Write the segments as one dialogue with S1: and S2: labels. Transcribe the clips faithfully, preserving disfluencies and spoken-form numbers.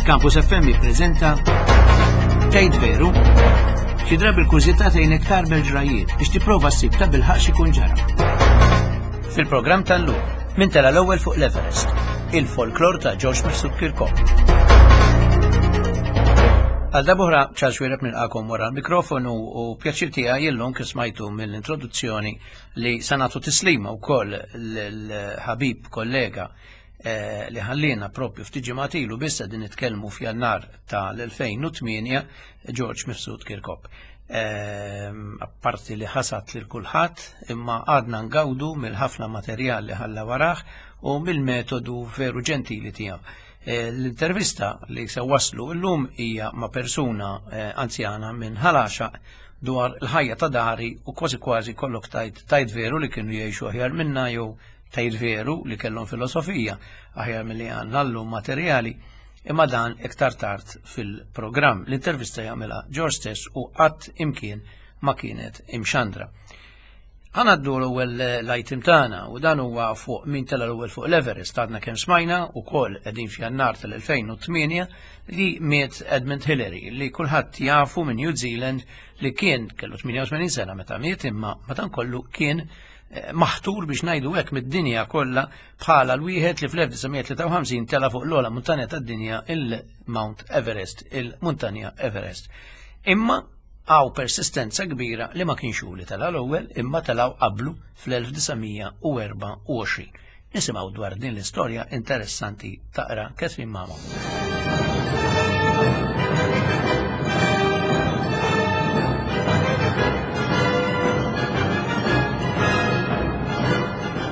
S1: Campus F M jippreżenta Tgħid Veru? Xi drabi l-kurżità tgħinek tarbel ġrajiet biex tipprova ssib ta' bilħaq x'ikun ġara. Fil-programm tal-lum, min tela l-ewwel fuq l-Everest, il-folklor ta' George Mifsud Kirkop. Għal darb'oħra, Charles Xuereb nilqagħkom wara l-mikrofonu u pjaċir tiegħi illum, kif smajtu mill-introduzzjoni, li se nagħtu tislima wkoll l-ħabib kollega eh, li ħallina propju ftit ġimgħat ilu biss, din nitkellmu f'Jannar tal-elfejn u tmienja, George Mifsud Kirkop. Ehm, apparti li ħasad lil kulħadd, imma għadna ngawdu mill-ħafna materjal li ħalla warah u mill-metodu veru ġentili tiegħu. Eh, L-intervista li se waslu llum hija ma' persuna eh, anzjana minn Ħal Għaxaq dwar il-ħajja ta' dari u kważi kważi kollok tajt tajt veru li kienu jgħixu aħjar minna jew tajt veru li kellhom filosofija aħjar milli għandna llum materjali, imma dan iktar tard fil-programm. L-intervista jagħmilha George stess u qatt imkien ma kienet imxandra. Ħa ngħaddu l-ewwel l-item tagħna u dan huwa fuq min tela l-ewwel fuq l-Everest. Għadna kemm smajna ukoll, qegħdin f'Jannar tal-elfejn u tmienja, li miet Edmund Hillary, li kulħadd jafu, minn New Zealand, li kien kellu tmienja u tmenin sena meta miet, imma madankollu kien eh, maħtur, biex ngħidu hekk, mid-dinja kollha bħala l-wieħed li fl-elf disa' mija tlieta u ħamsin tela fuq l-ogħla muntanja tad-dinja, il-Mount Everest, il-muntanja Everest. Imma hawn persistenza kbira li ma kienx hu li tela l-ewwel, imma telaw qablu fl-elf disa' mija u erbgħa u għoxrin. Nisimgħu dwar din l-istorja interessanti taqra Catherine Mamo.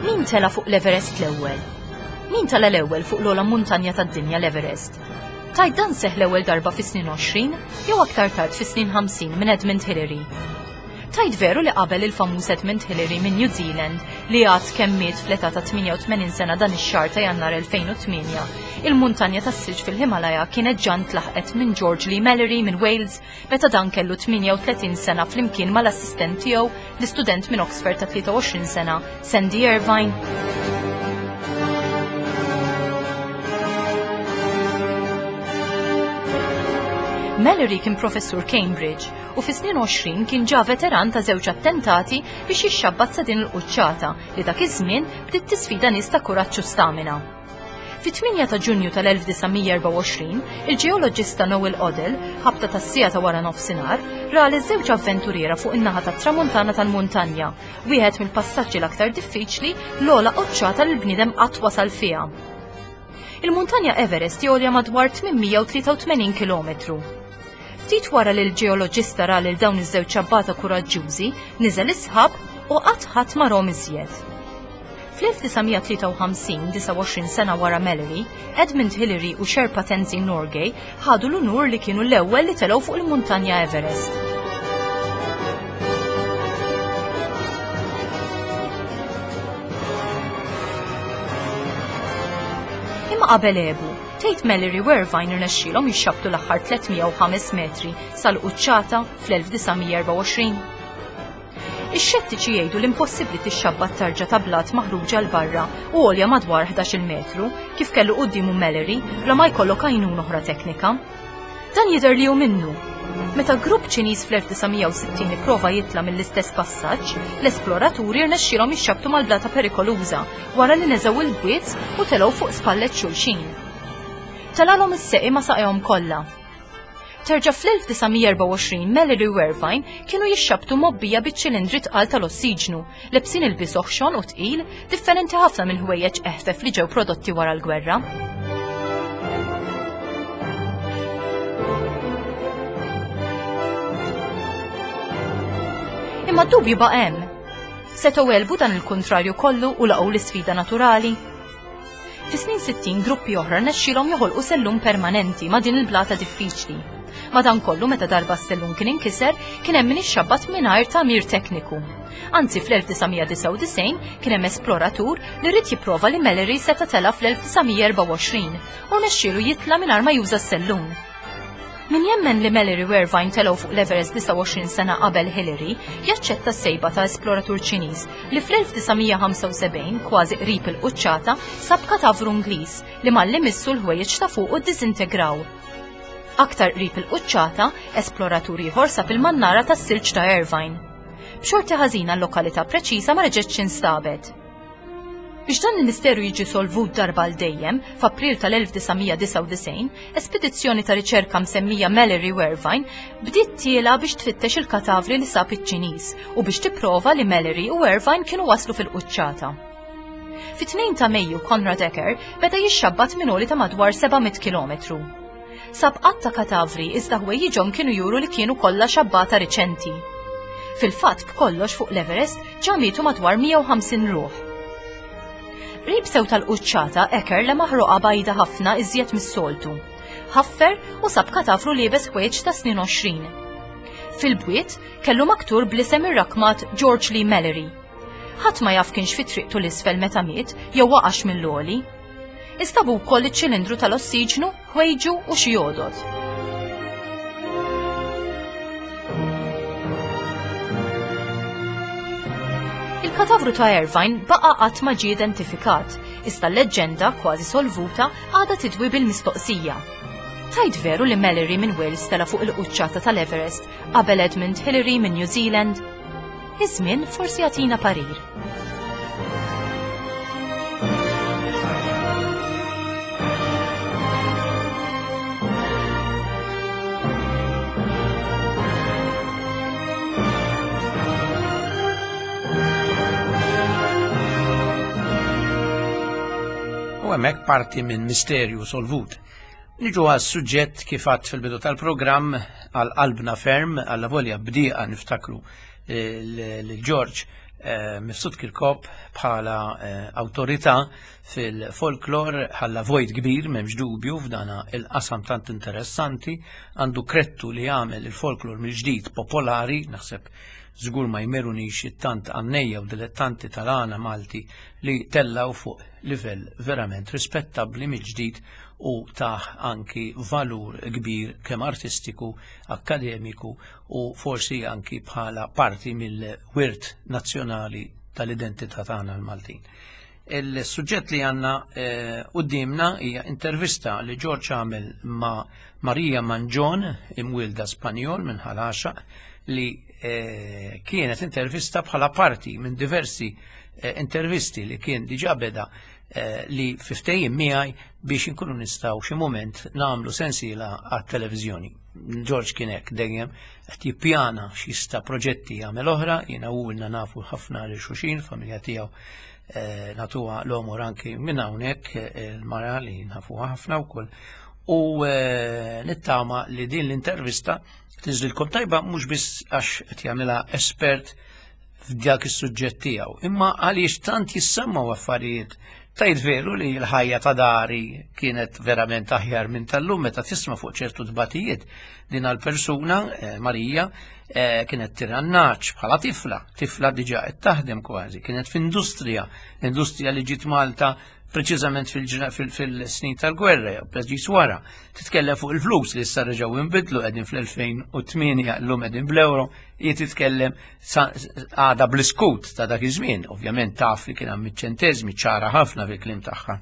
S2: Min tela fuq l-Everest l-ewwel? Min tela l-ewwel fuq l-ogħla muntanja tad-dinja, l-Everest? Tgħid dan seħħ l-ewwel darba fis-snin għoxrin jew aktar tard fis-snin ħamsin minn Edmund Hillary? Tgħid veru li qabel il-famuż Edmund Hillary minn New Zealand, li għad kemm miet fl-età ta' tmienja u tmenin sena dan ix-xahar ta' Jannar elfejn u tmienja, il-muntanja tas-silġ fil-Himalaya kienet ġa ntlaħqet minn George Lee Mallory minn Wales meta dan kellu tmienja u tletin sena, flimkien mal-assistent tiegħu, l-istudent minn Oxford ta' tlieta u għoxrin sena, Sandy Irvine? Mallory kien professur Cambridge u fi snin għoxrin kien ġa veteran ta' żewġ attentati biex jixxabbat sa din il-quċċata li dak iż-żmien bdiet tisfida nies ta' kuraġġ u stamina. Fit-tmienja ta' Ġunju tal-elf disa' mija u erbgħa u għoxrin, il-ġeoloġista Noel Odell, ħabta tas-siegħa ta' wara nofsinhar, ra li żewġ avventuriera fuq in-naħa tat-tramuntana tal-muntanja, wieħed mill-passaġġi l-aktar diffiċli, l-ogħla quċċata li l-bniedem qatt wasal fiha. Il-muntanja Everest għolja madwar tmien mija u tlieta u tmenin kilometru. Ftit wara li l-ġeoloġista ra lil dawn iż-żewġ ċabbata kuraġġużi, niżel is-sħab u qatt ħadd ma rahom iżjed. Fl-elf disa' mija tlieta u ħamsin, disgħa u għoxrin sena wara Mallory, Edmund Hillary u Sherpa Tenzing Norgay ħadu l-unur li kienu l-ewwel li telgħu fuq il-muntanja Everest. Imma qabel għebu, tgħid Mallory u Irvine irnexxielhom jixxabtu l-aħħar tliet mija u ħames metri sal-quċċata fl-elf disa' mija u erbgħa u għoxrin? Ix-xettiċi jgħidu l-impossibbli tixxabbat tarġa ta' blat maħruġa 'l barra u għolja madwar ħdax-il metru kif kellu quddiemu Mallory bla ma jkollok għajnuna oħra teknika. Dan jidher li hu minnu. Meta grupp Ċiniż fl-elf disa' mija u sittin ipprova jitla mill-istess passaġġ, l-esploraturi rnexxielhom jixxabtu mal-blata perikoluża wara li neżgħu il-bwiez u telgħu fuq spallet xulxin. Telalhom is-seqi ma' saqajhom kollha. Terġa' fl-elf disa' mija u erbgħa u għoxrin Mallory u Irvine kienu jixxabtu mgħobbija biċ-ċilindri tqal tal-ossiġnu, lebsin ilbies oħxon u tqil, differenti ħafna minn ħwejjeġ eħfef li ġew prodotti wara l-gwerra. Imma d-dubju baqa' hemm. Setgħu għelbu dan il-kontrarju kollu u laqgħu l-isfida naturali? Fis-snin sittin gruppi oħra rnexxielhom joħolqu sellum permanenti ma' din il-blata diffiċli. Madankollu, meta darba s-sellum kien inkiser, kien hemm min ixxabbat mingħajr tagħmir tekniku. Anzi, fl-elf disa' mija disgħa u disgħin kien hemm esploratur li ried jipprova li Mallory seta' tela fl-elf disa' mija u erbgħa u għoxrin u rnexxielu jitla' mingħajr ma juża s-sellum. Min jemmen li Mallory u Irvine telgħu fuq l-Everest disgħa u għoxrin sena qabel Hillary, jaċċetta s-sejba ta' esploratur Ċiniż li fl-elf disa' mija u ħamsa u sebgħin, kważi qrib il-quċċata, sab katavru Ingliż li malli missu l-ħwejjeġ ta' fuq u ddisintegraw. Aktar qrib il-quċċata, esploratur ieħor sab il-mannara tas-silġ ta' Irvine. B'xorti ħażina l-lokalità preċiża ma reġgħetx instabet. Biex dan il-misteru jiġi solvut darba għal dejjem, f'April tal-elf disa' mija disgħa u disgħin, espedizzjoni ta' riċerka msemmija Mallory u Irvine bdiet tiela biex tfittex il-katavri li sab iċ-Ċiniż u biex tipprova li Mallory u Irvine kienu waslu fil-quċċata. Fit-tnejn ta' Mejju Konrad Ecker beda jixxabbat minn għoli ta' madwar seba' mitt kilometru. Sab qatt ta' katavri iżda ħwejjiġhom kienu juru li kienu kollha xabbata riċenti. Fil-fatt b'kollox fuq l-Everest ġa mietu madwar mija u ħamsin ruħ. Qrib sew tal-quċċata Ecker lemaħ roqgħa bajda ħafna iżjed mis-soltu. Ħaffer u sab katavru liebes ħwejjeġ ta' snin għoxrin. Fil-bwiet kellu maktur bl-isem irrakmat George Lee Mallory. Ħadd ma jaf kienx fi triqtu l-isfel meta miet jew waqax mill-għoli. Instabu wkoll iċ-ċilindru tal-ossiġnu, ħwejġu u xi għodod. Il-katavru ta' Irvine baqa' qatt ma ġie identifikat, iżda l-leġġenda kważi solvuta għadha tidwi bil-mistoqsija. Tajt veru li Mallory minn Wales tela fuq il-quċċata tal-Everest qabel Edmund Hillary minn New Zealand? Iż-żmien forsi jagħtina parir.
S1: U hemmhekk parti minn misterju solvut. Niġu għas suġġett kif għadt fil-bidu tal-programm għal qalbna ferm, għalla volja bdieqa niftakru lil George, eh, Mifsud Kirkop bħala, eh, awtorità fil-folklor, ħalla vojt kbir, m'hemmx dubju f'dana il-qasam tant interessanti, għandu krettu li jagħmel il-folklor mill-ġdid popolari, naħseb żgur ma jmerunix it-tant għannejja u dilettanti tal-għana Malti li tellaw fuq livell verament rispettabbli mill-ġdid u taħ anki valur kbir kemm artistiku, akademiku u forsi anki bħala parti mill-wirt nazzjonali tal-identità tagħna l-Maltin. Il-suġġett li għandna, eh, quddiemna hija intervista li George għamel ma' Maria Mangion, imwielda Spanjol minn Ħal Għaxaq, li, eh, kienet intervista bħala parti minn diversi, eh, intervisti li kien diġà beda, eh, li fiftejjin miegħi biex inkunu nistgħu xi mument nagħmlu sensiela għat-televiżjoni. George kien hekk dejjem qed jippjana x'jista' proġetti jagħmel oħra, jiena u ilna nafu ħafna lil xulxin, familja tiegħu, eh, natuha l-omor anki minn hawnhekk, eh, il-mara li nafuha ħafna wkoll. U, eh, nittama li din l-intervista tinżlilkom tajba mhux biss għax qed jagħmilha espert f'dak is-suġġett tiegħu, imma għaliex tant jissemmaw affarijiet. Tajt veru li l-ħajja ta' dari kienet verament aħjar minn tal-lum meta tisma' fuq ċertu tbatijiet. Din għal-persuna, eh, Marija, eh, kienet tirannaċ bħala tifla, tifla diġà qed taħdem kważi, kienet f'industrija, industrija li ġiet Malta preċiżament fil-ġra-, fil-, fil-snin tal-gwerra, jew preċiż wara. Titkellem fuq il-flus li issa reġgħu inbidlu, qegħdin fl-elfejn u tmienja, llum qegħdin bl-euro, hi titkellem sa-, għada bl-iskut ta' dak iż-żmien, ovvjament taf li kien hemm iċ-ċenteżmi ċara ħafna fil-kliem tagħha.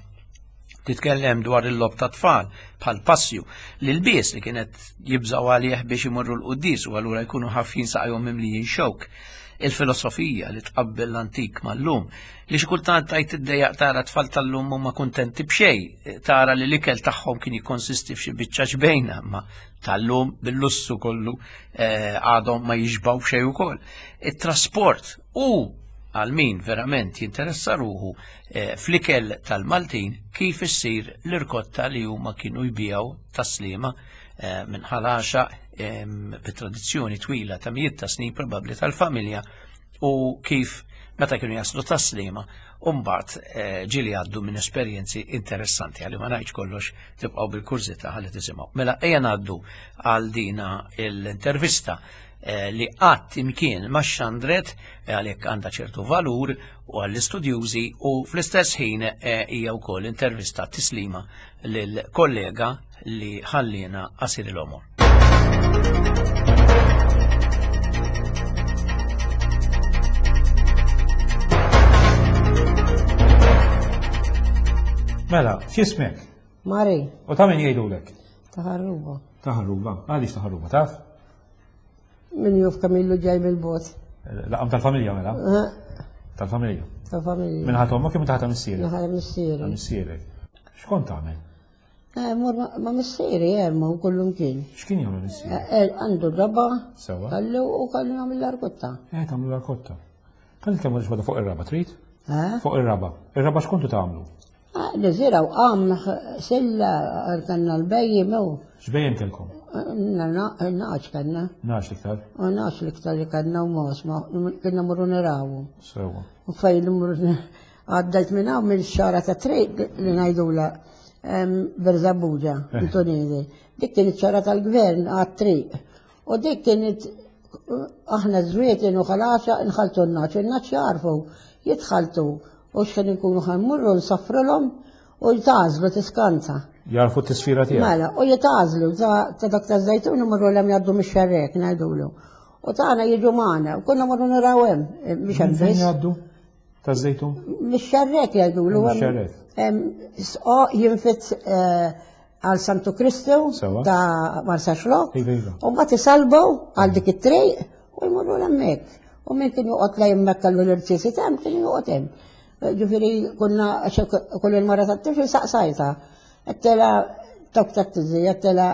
S1: Titkellem dwar il-lob ta' tfal bħal passju li l-bies li kienet jibżgħu għalih biex imorru l-quddies u allura jkunu ħafjin saqajhom mimlijin xewk. Il-filosofija li tqabbel l-antik mal-lum, li xi kultant tajt iddejjaq tara tfal tal-lum huma kuntenti b'xejn, tara li l-ikel tagħhom kien jikkonsisti f'xi biċċa xbejna, ma tal-lum bil-lussu kollu, eh, għadhom ma jixbgħu b'xejn ukoll. It-trasport u għal min verament jinteressa ruħu, eh, fl-ikel tal-Maltin kif issir l-irkotta li huma kienu jbiegħu taslima, eh, minn Ħal Għaxaq, em, bit-tradizzjoni twila ta' mijiet ta' snin probabbli tal-familja, u kif meta kienu jaslu taslima u mbagħad, eh, ġieli għaddu minn esperjenzi interessanti għalli ma ngħidx kollox, tibqgħu bil-kurżità ħalli tisimgħu. Mela ejja ngħaddu għal dina l-intervista, eh, li qatt imkien ma xandret, eh, għalhekk għandha ċertu valur u għall-istudjużi, u fl-istess ħin, eh, hija wkoll intervista tislima lill-kollega li ħallina qasir il-għomor.
S3: Mela, x'ismek?
S4: Mari.
S3: U ta' min jgħidulek?
S4: Ta' Ħarruba.
S3: Ta' Ħarruba. Għaliex ta' Ħarruba, taf?
S4: Min juf Kamillu ġej mill-bot.
S3: Laqam tal-familja mela? Tal-familja.
S4: Tal-familja.
S3: Minn ħadd ommok jew minn ħadd missierek?
S4: Minn ħadd missierek.
S3: Missierek. X'kont tagħmel?
S4: Eh, mur ma missieri hemm u kullum kien.
S3: X'kien jagħmel missieri?
S4: Eh, għandu raba.
S3: Sewa.
S4: Kallu u kallu nagħmel l-arkotta.
S3: Eh, tagħmlu l-arkotta. Kan nitkellmu xi fuq ir-raba, trid?
S4: Eh?
S3: Fuq ir-raba. Ir-raba x'kontu tagħmlu?
S4: Eh, Niżiraw qam silla kanna l-bejjem u.
S3: X'bejjem kellkom?
S4: Naqax kanna.
S3: Naqax l-iktar?
S4: Naqax l-iktar li kanna u mos, ma kienna morru nirawu.
S3: Sewa.
S4: U fejn morru għaddajt minn hawn mill-xara ta' triq li ngħidula Berzabuġa, Antonini. Dik kienet ċara tal-gvern għat-triq. U dik kienet aħna żwieten u ħalaxa nħaltu n-naċ, in-naċ jarfu, jitħaltu u x'kien inkunu ħammurru nsafrulhom u jitgħażlu tiskanta.
S3: Jarfu t-tisfira tiegħek.
S4: Mela, u jitgħażlu ta' dak ta' żejtun imorru l-hemm jgħaddu mix-xerrek ngħidulu. U tagħna jiġu magħna, u konna morru naraw hemm biex hemm
S3: Fejn jgħaddu? Ta' żejtun?
S4: Mix-xerrek jgħidulu.
S3: Mix-xerrek.
S4: Sqoq jinfit għal Santu Kristu ta' Marsaxlokk. U mbagħad isalbu għal dik it-triq u jmorru l-hemmhekk. U min kien joqgħod lejn hemmhekk kellu l-irċiesi hemm kien joqgħod hemm. Ġifieri konna kull il-mara tat-tifel saqsajta. Għedtilha tok ta' tiżi, għedtilha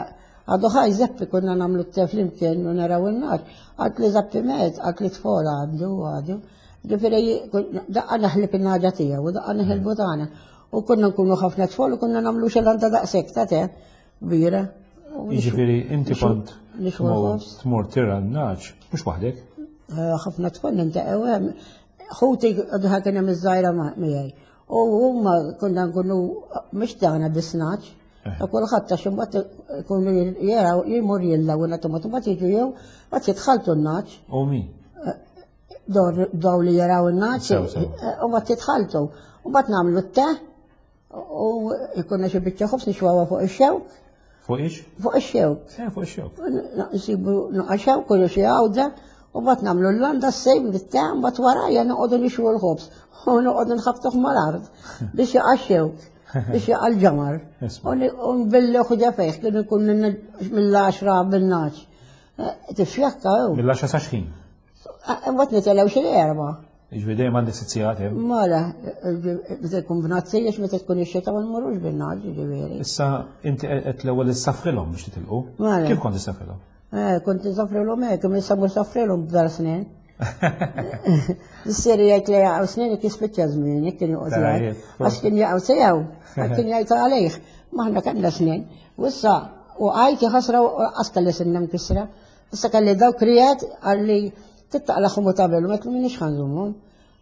S4: għadu ħaj Zeppi konna nagħmlu t-te flimkien u naraw in-nar. Għalt li Zeppi met, għalt li tfola għandu għadu. Ġifieri daqqa naħlib in-naġa tiegħu u daqqa naħilbu tagħna. U konna nkunu ħafna tfal u konna nagħmlu xi landa daqshekk ta' te kbira.
S3: Jiġifieri inti kont tmur tira n-naġ, mhux waħdek?
S4: Ħafna tfal nintaqgħu hemm. Ħuti għadha kien hemm iż-żgħira miegħi. U huma konna nkunu mhux tagħna biss naġ. Ta' kulħadd għax imbagħad ikunu jaraw jmur jillaw u nagħtu mbagħad jiġu jew mbagħad jitħaltu n-naġ.
S3: U min?
S4: Daw li jaraw in-naġ u mbagħad jitħaltu. U mbagħad nagħmlu t-te u jkunna xi biċċa ħobż nixwawha fuq ix-xewk.
S3: Fuq ix?
S4: Fuq ix-xewk.
S3: Eh, fuq ix-xewk.
S4: Nsibu naqa' xewk u xi għawda u mbagħad nagħmlu l-landa s-sejm bit-te mbagħad warajja noqogħdu nixwu l-ħobż u noqogħdu nħabtuh mal-art biex jaqa' x-xewk, biex jaqa' l-ġamar. U nbillu ħuġa fejh kienu jkun mill-għaxra bin-naġ. Tifjakka hu.
S3: Mill-għaxra sa x'ħin?
S4: Mbagħad nitilgħu xi erba'.
S3: Jiġifieri dejjem għandek sitt sigħat hemm.
S4: Mela, meta tkun b'nazzi għax meta tkun ix-xita ma nmorrux bin-naġ, jiġifieri.
S3: Issa inti qed l-ewwel issafrilhom biex titilqu.
S4: Mela.
S3: Kif kont issafrilhom?
S4: Eh, kont insafrilhom hekk, imma issa mhux safrilhom b'dar snin. Missieri jgħid li jaqgħu snin jekk jispiċċa żmien, kien joqgħod jgħid. Għax kien jaqgħu sew, kien jgħid għalih. Maħna kellna snin. U issa u għajti ħasra u qas kelli sinna mkissra. Issa kelli dawk krijet għalli tittaqlaħhom u tagħmel, ma minix ħanżumhom.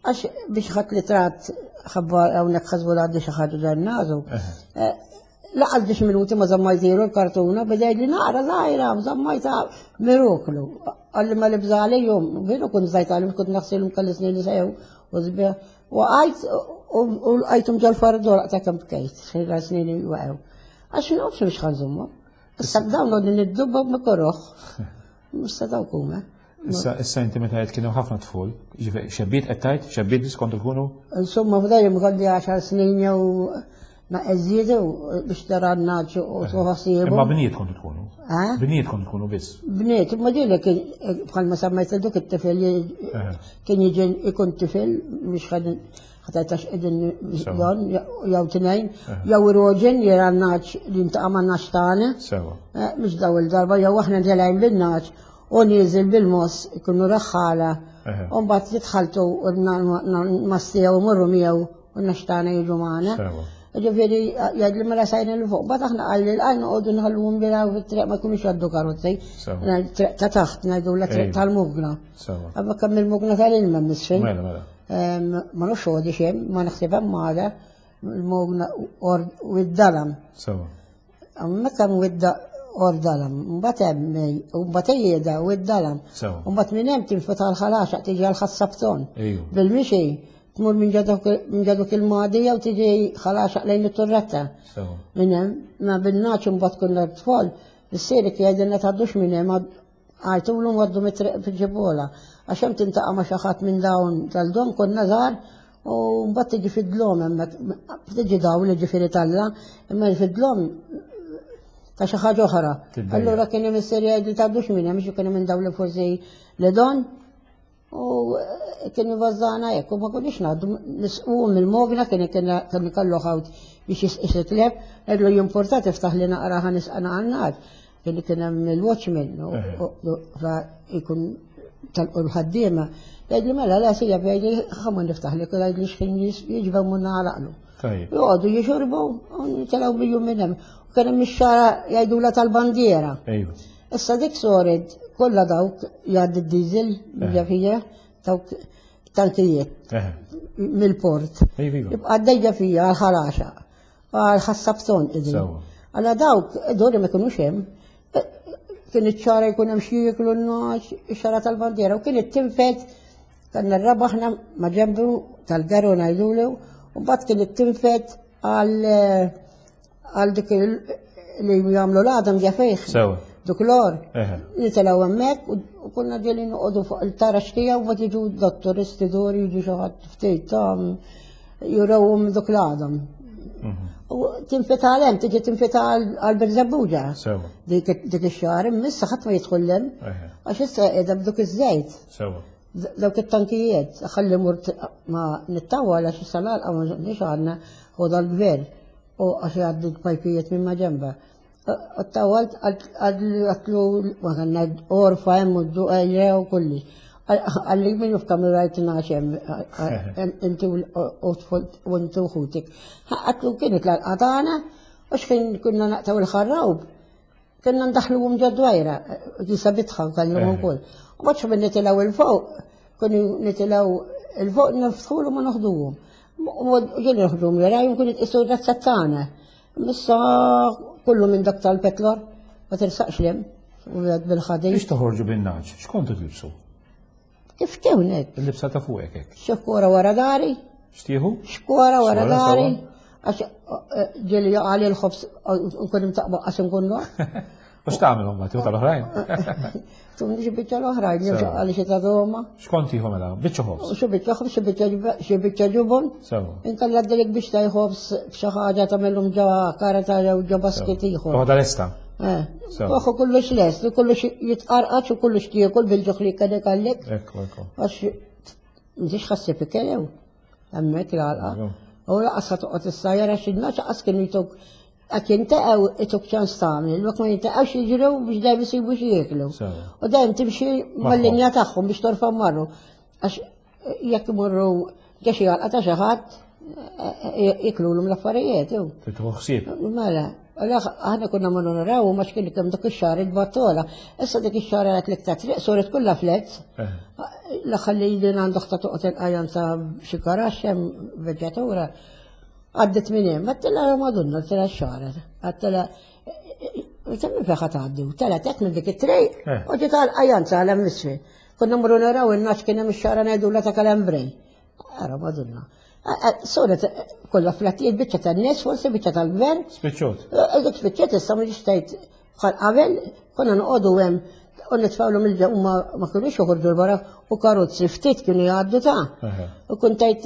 S4: Għax biex ħadd li trat ħabba hawnhekk ħasbu għaddi xi ħaġa ġennażu. Laqas biex minuti ma żammajtilu l-kartuna, beda li naqra żgħira, żammajta miroklu. Għalli ma libża għalihom, veru kont żajt għalihom, kont naħsilhom kelli snin li sejjew u żbieħ. U għajt u għajtum ġol-fardor ta' kemm bkejt, xejra snin waqgħu. Għax nafx biex ħanżumhom. Issa dawn għodni niddubba ma korroħ. Issa dawk huma.
S3: Issa issa inti meta qed kienu ħafna tful, jiġifieri xebbiet qed tgħid, xebbiet biss kontu tkunu?
S4: Insomma f'dejjem kelli għaxar snin jew naqeżiedu biex tara n-naġ u tħossibu.
S3: Imma bniet kontu tkunu? Bniet kontu tkunu biss?
S4: Bniet, imma ġieli kien bħalma semmejt duk it-tifel kien jiġi ikun tifel biex ħatajtax qegħdin don jew tnejn, jew roġen jara n-naġ li ntaqa' man-naġ tagħna.
S3: Sewa.
S4: Mhux daw il-darba jew aħna ntelgħin bin-naġ u nieżel bil-moss ikunu raħħala. U mbagħad jitħaltu mastijaw u morru miegħu u n-naġ tagħna jiġu magħna. Ġifieri jgħid li mela sajna l fuq, mbagħad aħna qalli l-għajn noqogħdu nħalluhom jilgħu fit-triq ma jkunux jgħaddu karozzi. Triq ta' taħt ngħidu la triq tal-mugna. Qabel kemm il-mugna tal-ilma misfin.
S3: Mela mela.
S4: Ma nafx għodi xejn, ma naħseb hemm għada il-mugna u d-dalam.
S3: Sewa.
S4: Hemmhekk hemm widda ordalam, mbagħad hemm u mbagħad ejjeda u d-dalam. U mbagħad minn hemm tinfet għall-ħalaxaq tiġi għall-ħassabton. Bil-mixi tmur minn ġadok il-madija u tiġi ħalaxaq lejn it-turretta. Minn hemm, ma bin-naċ imbagħad kunna tfal, missieri jgħidilna tgħaddux minn hemm għajtulu għaddu mit-triq fil-ġibola. Għax hemm tintaqa' ma' xi ħadd minn dawn tal-dom konna żgħar u mbagħad tiġi fid-dlom hemmhekk, tiġi dawn jiġifieri talla, imma fid-dlom ta' xi ħaġa oħra. Allura kien hemm is-serja li tgħaddux minn hemm, kien hemm dawn li forsi li don u kien ibażżana hekk u ma konniex ngħaddu nisqu mill-mogna kien kien ikollu ħawt biex jisqis it-tleb, għedlu jimporta tiftaħ li naqra ħa nisqana għan-nar. Kien kien hemm il-watchman u jkun tal-ħaddiema. Jgħidli mela la sija jgħidli ħa niftaħ li jgħidli x'kien jiġbgħu mun nagħlaqlu. Joqogħdu jixorbu u nitilgħu bijum minn hemm. U kien hemm ix-xara jgħidulha tal-bandiera. Issa dik soret kollha dawk jgħaddi d-diesel ġafija dawk tankijiet mill-port. Jibqa' għaddejja fija għal ħalaxa għal ħassabton idin. Għala dawk dori ma kinux hemm. Kien iċ-ċara jkun hemm xi jieklu n-naċ, ix-xara tal-bandiera u kien it-tinfed kan rrabaħna ma' ġembu tal-garu ngħidulu u mbagħad kien it-tinfed għal dik li jagħmlu l-għadam ġafejh. Duk l-or. Nitilgħu hemmhekk u konna ġieli noqogħdu fuq il-tarax tiegħu u mbagħad jiġu dottoristi dor jiġu xi ħadd ftit ta' jurawhom duk l-għadam. U tinfeta għal hemm, tiġi tinfeta għal Birżebbuġa. Dik ix-xahar, issa ħadd ma jidħol hemm. Għax issa qiegħda b'duk iż-żejt. Dawk it-tankijiet, ħalli mur ma nittawwa għax issa l-għalqa ma nix għandna hu dal-gvern u għax jgħaddu l-pajpijiet minn ma ġenba. Ttawalt għatlu ma kellna orfa hemm u d-duqejja u kulli. Għalli minnu f'kamra rajt naxem, inti u inti u ħutik. Għatlu kienet l-għalqa tagħna u x'kien kunna naqtaw il-ħarrawb. Kienna ndaħluhom ġod-dwajra, jisa bitħa kellhom ukoll. U mbagħad minn nitilgħu il fuq, kienu nitilgħu il fuq niftħulu ma noħduhom. U ġieli noħduhom jarajhom kienu jitqisu razza tagħna. Issa kullu minn dak tal-petlor, ma tirsaqx lem, u bil-ħadid.
S3: Biex toħorġu bin-naċ, x'kontu tilbsu?
S4: Kif tewnek?
S3: Il-libsa ta' fuqek hekk.
S4: Xkora wara dari.
S3: Xtieħu?
S4: Xkora wara dari. Għax ġieli jaqali l-ħobs nkun imtaqbaq għax nkun noq.
S3: U x'tagħmel mbagħad tieħu tal-oħrajn?
S4: Tumni xi biċċa l-oħrajn, jew għali xi ta' doma.
S3: X'kont tieħu mela? Biċċa ħobs.
S4: Xi biċċa ħobs, xi biċċa ġubon.
S3: Sewa.
S4: Inkella għaddilek biex taj ħobs b'xi ħaġa tagħmilhom ġo karata jew ġo basket ieħor.
S3: Toħodha lesta.
S4: Eh. Toħu kollox lest, kollox jitqarqax u kollox tiekol bil-ġuħ li kellek għallek.
S3: Ekku, ekku.
S4: Għax m'intix ħassib ikellew hemmhekk l-għalqa. U laqas toqgħod issajjar għax in-naċ qas kienu jtuk għak jintaqgħu ituk ċans tagħmel, jekk ma jintaqgħux jiġru biex dejjem isibu xi jieklu. U dejjem timxi mal-linja tagħhom biex torfa' marru. Għax jekk imorru ġa xi għalqa ta' xi ħadd jiklulhom l-affarijiet.
S3: Tieħu ħsieb.
S4: Mela, aħna konna morru naraw ma x'kien kemm dak ix-xahar il-battola. Issa dik ix-xahar għat l-iktar triq soret kollha flets. L-aħħar li din għandu ħta toqgħod il-qajjan ta' xi karax hemm veġġatura. Għaddit minn hemm, għattila madonna, għattila x-xahar, għattila minn fejn tgħaddi, telgħet hekk minn dik it-triq u ġiet għall-qajjan sa hemm isfel. Konna mmorru naraw in-naċ kien hemm ix-xahar ngħidulha ta' Kalembrej. Ara madonna. Soret kollha flattijiet biċċa tan-nies, forsi biċċa tal-gvern.
S3: Spiċċot.
S4: Dik spiċċet issa ma ġiex tgħid bħal qabel konna noqogħdu hemm u nitfgħulhom il-ġew ma ma kinux joħorġu l-barra u karozzi ftit kienu jgħaddu ta'. U kont tgħid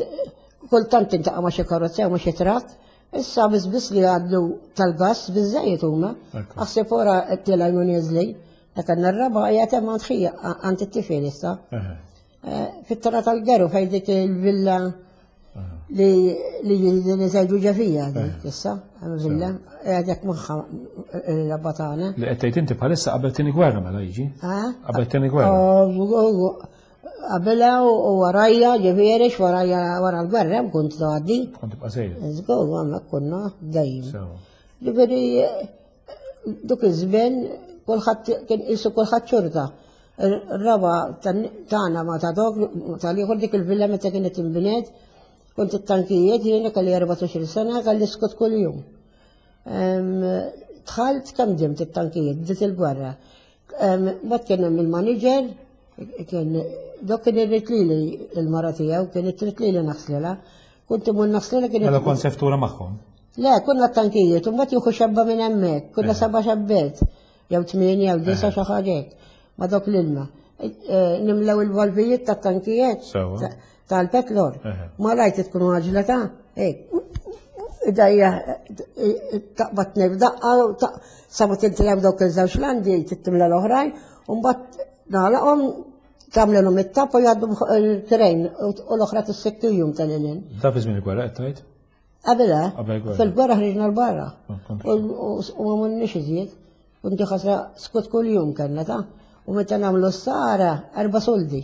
S4: kultant tintaqa' ma' xi karozza jew ma' xi trakk, issa biss biss li jgħaddu tal-gass biżżejjed huma. Aħseb ora tilgħu jew nieżli. Dak għandna r-raba' qiegħed hemm għand ħija għand it-tifel issa. Fit-tara tal-Geru fejn dik il-villa li li li żejdu ġefija dik issa, hemm villa, qiegħed magħha r-raba tagħna.
S3: Li qed tgħid inti bħalissa qabel tieni gwerra mela jiġi? Qabel tieni gwerra.
S4: Qabelha u warajja, ġifieri warajja wara l-gwerra kont tgħaddi.
S3: Kont tibqa' sejjer.
S4: Żgur, hemmhekk konna dejjem. Ġifieri dik iż-żmien kulħadd kien qisu kulħadd xorta. Ir-raba tagħna ma ta' dok tal-ieħor dik il-villa meta kienet inbniet, kont it-tankijiet jiena kelli erbatax-il sena kelli skut kuljum. Dħalt kemm dimt it-tankijiet, bdiet il-gwerra. Mbagħad kien hemm il-manager, kien dok kien irrid lili il-mara tiegħu, kien irrid lili naħslilha. Kont imur naħslilha kien.
S3: Mela kont seftura magħhom?
S4: Le, konna t-tankijiet, u mbagħad jieħu xebba minn hemmhekk, konna seba' xebbiet, jew tmienja jew disa' xi ħaġa hekk, ma' dok l-ilma. Nimlew il-valvijiet tat-tankijiet tal-petlor. Ma rajt tkun għaġla ta' hekk. Idajja Taqbad tnejn f'daqqa, sa ma tintilgħu dawk iż-żewġ landi, tittimla l-oħrajn, u mbagħad nagħlaqhom tagħmlilhom it-tapp u jgħaddu il-trejn u l-oħra tissiktu jum tal-ilin.
S3: Da fi żmien il-gwerra qed tgħid?
S4: Qabel, eh?
S3: Qabel il-gwerra.
S4: Fil-gwerra ħriġna l-barra.
S3: Ah, kont-
S4: U ma munnix iżjed. Kunti ħasra skut kull jum kellna ta' u meta nagħmlu s-sara erba' soldi.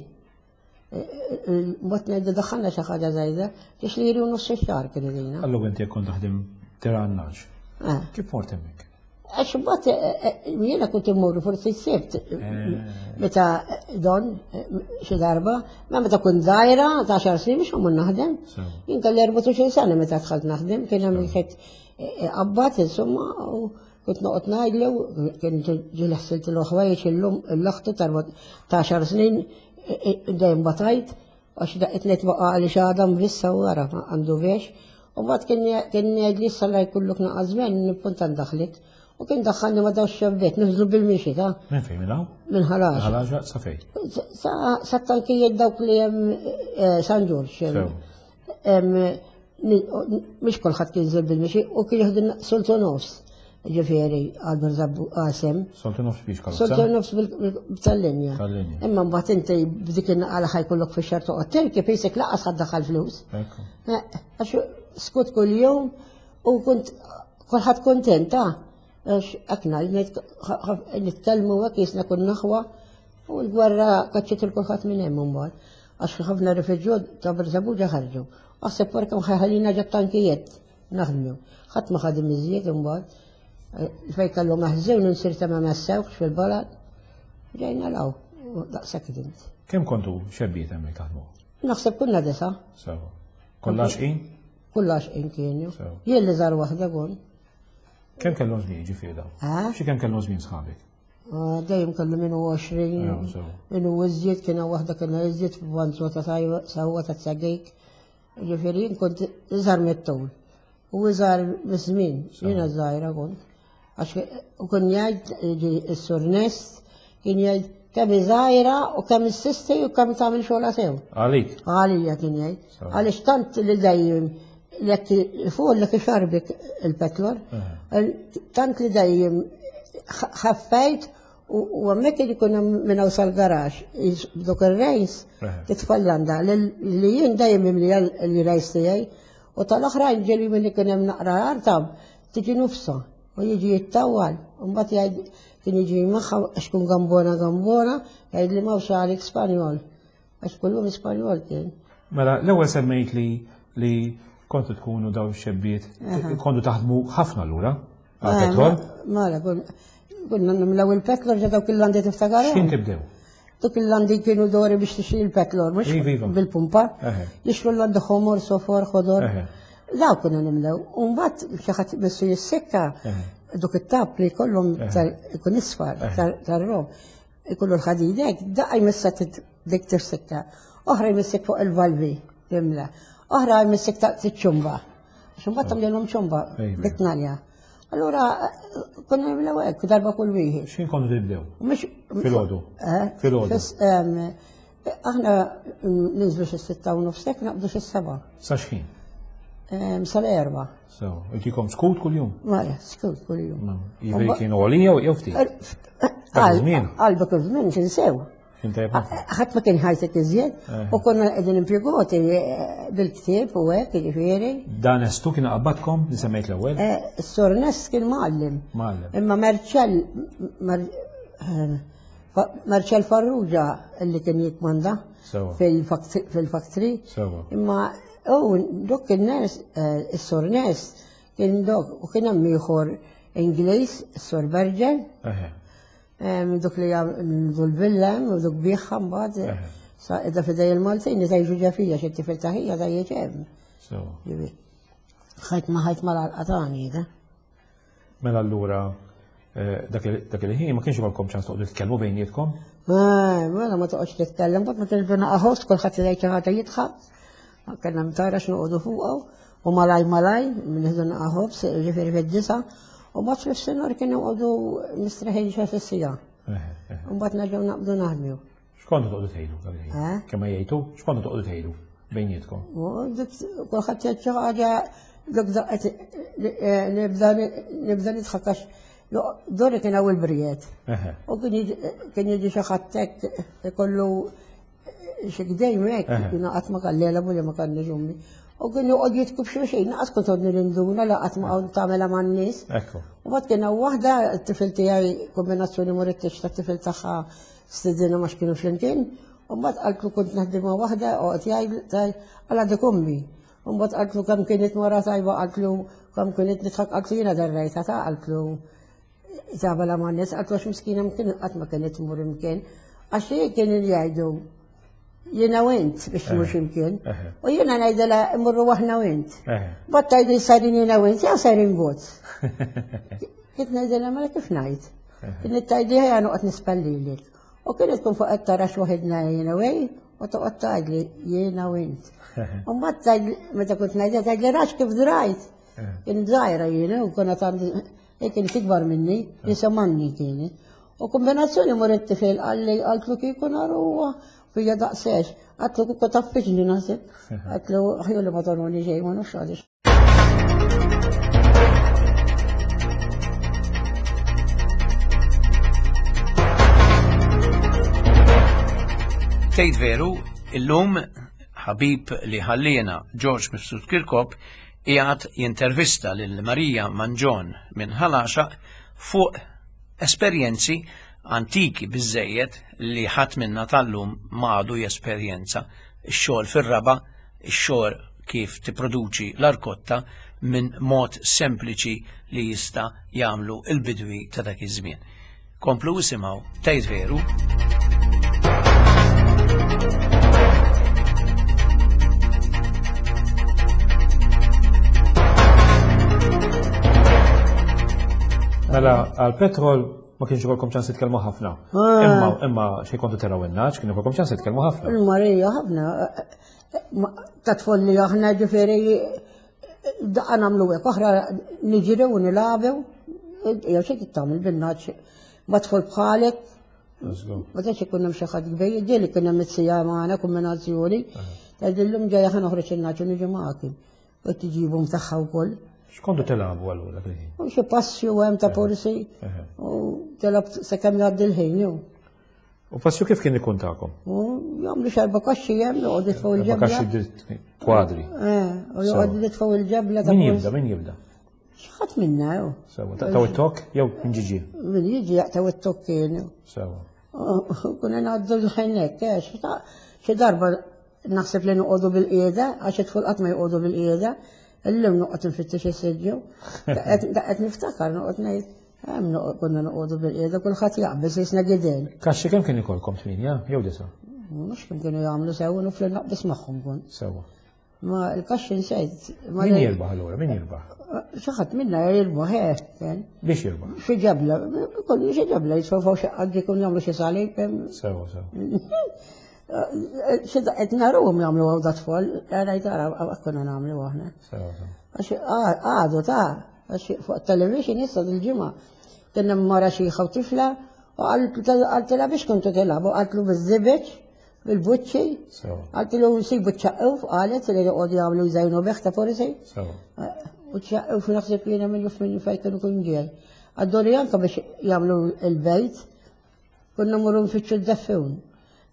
S4: Mbagħad ngħidu daħħalna xi ħaġa żgħira, tix li jridu nofs ix-xahar kien idina.
S3: Allura inti jekk kont taħdem tira għan-nagħaġ.
S4: Eh.
S3: Kif mort hemmhekk?
S4: Għax mbagħad eh, eh, jiena kont immur forsi s-sibt meta don eh, xi darba, ma meta kont żgħira ta' xar snin biex immur naħdem.
S3: Sewa.
S4: Jien kelli erbatax-il sena meta dħalt naħdem, kien hemm wieħed qabbat insomma u kont noqgħod ngħidlu, kien ġieli ħsiltlu ħwejjeġ illum l-oħtu ta' xar snin dejjem batajt għax daqqa tliet baqa' għaliex għadha mvissa u wara għandu vex. U mbagħad kien kien jgħidli issa la jkollok naqa' żmien nippunta ndaħlik. U kien daħħalni ma dawx xebbiet, nifżlu bil-mixi ta'
S3: Minn fejn minn hawn?
S4: minn ħalax.
S3: Ħalaġa sa fejn?
S4: Sa sa tankijiet dawk li hemm eh, San Ġorġ.
S3: Sew.
S4: Hemm, ni- Mhix kulħadd kien jinżel bil-mixi u kien jieħdu soltu nofs. Ġifieri għal Birżebbu qasem.
S3: Soltu nofs biex karozza?
S4: Soltu nofs bil- tal-linja.
S3: Tal-linja.
S4: Imma mbagħad inti b'dik in-naqala ħajkollok fix-xahar toqgħod tirki fisek laqas ħadd daħal flus.
S3: Ekku.
S4: Eh, Għax skut kull jum u kont kulħadd kontenta. Għax akna nitkellmu hekk jisna kun naħwa u l-gwerra kaċċiet il kulħadd minn hemm imbagħad. Għax ħafna rifuġjat ta' Birżebbuġa ħarġu. Aħseb wara kemm ħajħallina ġat tankijiet naħdmu. Ħadd ma ħadem iżjed imbagħad. Fej kellu maħżun nsir ta' ma massewx fil-balad. Ġejna law, u daqshekk int.
S3: Kemm kontu xebbiet hemmhekk taħdmu?
S4: Naħseb kunna disa,
S3: Sewa. Kollha xqin?
S4: kullax kienu.
S3: Sew.
S4: Jien li żar waħda kun.
S3: Kemm kellhom żmien ġifieri dawn?
S4: Eh?
S3: Xi kemm kellhom żmien sħabek?
S4: Ah, Dejjem kellu minnu għoxrin,
S3: Ew, sew.
S4: minnu iżjed, kiena waħda kiena iżjed f'vanzu ta' sajwa- sewwa ta' tsagejk. Ġifieri jien kont iżgħar mit-tul. U iżgħar miż-żmien, jiena żgħira kont. Għax u kien jgħid ġi s-sur Nest, kien jgħid kemm żgħira u kemm issisti u kemm tagħmel xogħla sew.
S3: Għalik?
S4: Għalija kien jgħid.
S3: Sew.
S4: Għaliex tant li dejjem jekk fuq l xarbik il-petrol, tant li dejjem ħaffejt u u hemmhekk kien ikun hemm minn hawn sal-garax, dok ir-rejs
S3: Eħe.
S4: titfallanda li li jien dejjem imli l-rejs tiegħi u tal-oħrajn ġeli minn ikun hemm naqra artab tiġi nufsa u jiġi jittawal u mbagħad jgħid kien jiġi magħha għax kun gambona gambona jgħid li m'hawnx għalik Spanjol għax kullum Spanjol kien.
S3: Mela, l-ewwel semmejt li li kontu tkunu daw xebbiet, kontu taħdmu ħafna lura għal-petrol.
S4: Mela, kun- kunna nimlew il-petrol ġa dawk il-landi tiftakar?
S3: X'kien tibdew?
S4: Dawk il-landi kienu dori biex tixtri il-petrol, mhux
S3: Iva, iva.
S4: bil-pumpa.
S3: Eħe.
S4: Jixtru l-landi ħomor, sofor, ħodor.
S3: Eħe.
S4: Daw kunna nimlew. U mbagħad xi ħadd missu jissikka
S3: Eħe.
S4: dok it-tap li kollhom tal- ikun isfar tal- tar-rom. Ikollu l-ħadidek, daqqa jmissa tit- dik tifsikka. Oħra jmissek fuq il-valvi, timla. Oħra jmissek ta' ċumba. Xumba tagħmlilhom ċumba,
S3: Ejwa.
S4: bit-tnalja. Allura konna nimlew hekk darba kull wieħed.
S3: X'kien kontu tibdew?
S4: Mhux
S3: Filgħodu?
S4: Eh?
S3: Filgħodu.
S4: Fis- em, Aħna ninżlu xi sitta u nofsek naqbdu xi seba.
S3: Sa x'ħin?
S4: Em, Sal-erba.
S3: So, intikom skut kuljum?
S4: Mela, skut kuljum.
S3: Jiġifieri kienu għolija jew ftit? Dak iż-żmien?
S4: Għal dak iż-żmien kien sew.
S3: Kien tajjeb ħafna.
S4: Ħadd ma kien ħajtek iżjed
S3: Eh.
S4: u konna qegħdin impjegati eh, bil-ktieb u hekk jiġifieri.
S3: Dan estu kien qabadkom li semmejt l-ewwel?
S4: Eh, Is-sur Nest kien mgħallem.
S3: Mgħallem.
S4: Imma Marcel Mar- eh, Fa- Marcel Farrugia li kien jikmanda
S3: Sewa.
S4: fil-fact- fil-factory.
S3: Sewa.
S4: Imma u dok il-nes, eh, is-sur Nest kien dok u kien hemm ieħor Ingliż, is-sur Berger.
S3: Eħe.
S4: Em, Dok li għamlu l-villa u dok biħħa mbagħad
S3: Eħe.
S4: sa idda fidej il-Maltin li tajġu ġafija xi tifel taħija tajjeġ hemm.
S3: Sewa.
S4: Ġifieri, Ħajt ma ħajt mal-qalqatani da.
S3: Mela allura eh, dak il- dak il-ħin ma kienx ikolkom ċans toqgħodu titkellmu bejnietkom?
S4: Ma, mela ma toqgħodx titkellem, bad ma tilbina qaħos, kulħadd jgħid xi ħaġa jidħaq. Kellna mtara x'noqogħdu fuqha u malaj malaj nieħdu naqaħobs, ġifieri fid-disa, u mbagħad fis-sinor kienu joqogħdu mistraħin xi sissija.
S3: Eħe, eħe.
S4: U mbagħad nerġgħu naqbdu naħdmu.
S3: X'kontu toqgħodu tgħidu dak il-ħin?
S4: Eh?
S3: Kemm ma jgħidu, x'kontu toqgħodu tgħidu bejnietkom?
S4: U dik kulħadd jgħid xi ħaġa Dok daqqet nibda nidħak għax dori kien hawn il-brijiet. U kien jiġi xi ħadd hekk ikollu xi gdejm hekk, jiena qatt ma kelli u li ma kellix ommi. U kien joqgħod jitku b'xulxin, naqas kont għodni l-induna, laqat ma tagħmilha man-nies. U mbagħad kien hawn waħda t-tifel tiegħi kombinazzjoni morittex tat-tifel tagħha stedina ma x'kienu flimkien. U mbagħad qaltlu kont naħdem ma' waħda oqgħod jgħid għala dik ommi. U mbagħad qaltlu kemm kienet mara tajba, qaltlu kemm kienet nidħak, qaltlu jiena darrejta ta' qaltlu tagħmilha man-nies, qaltlu għax miskina mkien qatt ma kienet tmur imkien. Għax hi kienu jgħidu jiena u int biex tmur x'imkien. U jiena ngħidilha immorru aħna u int. Mbagħad tgħidli sajrin jiena u int, jew sajrin bot. Kif ngħidilha mela kif ngħid? Kienet tgħidli ħejja noqgħod nispallilek. U kienet tkun fuq qed tara x'waħidna jiena u hi, u toqgħod tgħidli jiena u int. U mbagħad tgħidli meta kont ngħidha tgħidli rax kif drajt. Kien żgħira jiena u konna tgħandi kien ikbar minni, jisemanni kienet. U kombinazzjoni mur it-tifel qalli qaltlu kieku naruha fija daqsex. Għatlu kieku taffiġni naħseb. Għatlu ħju li ma tonuni xejn ma nafx għaliex.
S1: Tgħid veru, illum ħabib li ħallina George Mifsud Kirkop qiegħed jintervista lil Marija Manġon minn Ħal Għaxaq fuq esperjenzi antiki biżejjed li ħadd minna tal-lum m'għadu jesperjenza. Ix-xogħol fir-raba, ix-xogħol kif tipproduċi l-arkotta minn mod sempliċi li jista' jagħmlu l-bidwi ta' dak iż-żmien. Komplu isimgħu Tgħid Veru.
S3: Mela, għal-petrol ma kienx ikolkom ċans titkellmu ħafna. Imma imma xi kontu taraw in-naċ, kien ikolkom ċans titkellmu ħafna.
S4: Il-Marija ħafna. Ta' tfolli aħna ġifieri daqqa nagħmlu hekk, oħra niġru u nilagħbu. Jew xi tagħmel bin-naċ ma tfol bħalek. Ma tantx ikun hemm xi ħadd kbir, ġieli kien hemm it-sija magħna kombinazzjoni. Tgħidillhom ġejja ħa noħroġ in-naċ u niġi magħkom. U tiġibhom tagħha wkoll.
S3: X'kontu tilagħbu allura dak il-ħin?
S4: U xi passju hemm ta' forsi u tilgħab sakemm jgħaddi l-ħin jew.
S3: U passju kif kien ikun tagħkom?
S4: U jagħmlu xi erba' kaxxi hemm joqogħdu jitfgħu il-ġebla.
S3: Kaxxi kwadri.
S4: Eh, u joqogħdu jitfgħu il-ġebla
S3: ta' Min jibda, min jibda?
S4: Xi ħadd minna jew.
S3: Sewa, taqtaw it-tokk jew min ġiġi?
S4: Min jiġi jaqtaw it-tokk kien.
S3: Sewa.
S4: Kuna ngħaddu l-ħin hekk, xi darba naħseb li noqogħdu bil-qiegħda għax it-tful qatt ma joqogħdu bil-qiegħda. Illum noqgħod nfittex is-siġġu. Daqqa niftakar noqgħod ngħid hemm konna noqogħdu bil-qiegħda kulħadd jaqbeż jisna gidel.
S3: Kaxxi kemm kien ikolkom tminja jew disa?
S4: Mhux kemm kienu jagħmlu sew nuf li naqbis magħhom kont.
S3: Sewwa.
S4: Ma l-kaxxi nsejt.
S3: Min jirbaħ allura, min jirbaħ?
S4: Xi ħadd minna jirbaħ hekk.
S3: Biex jirbaħ?
S4: Xi ġebla, kollu xi ġebla jitfgħu xi qadd jkun jagħmlu xi salib.
S3: Sewwa, sewwa.
S4: Xi qed naruhom jagħmlu għaw da tfal, ngħid ara konna nagħmlu aħna. Għax għadu ta' għax fuq television issa dil-ġimgħa kien hemm mara xi u tifla u qaltilha biex kontu tilagħbu, qaltlu biż-żibeġ, bil-buċċi, qaltlu nsibu ċ-ċaqquf, qalet li joqogħdu jagħmlu jżejnu bih ta' forsi. U ċ-ċaqquf naħseb jiena minnu f'min fejn kienu kun ġej. Għadduri anke biex jagħmlu l-bejt, konna mmorru nfittxu d-deffun.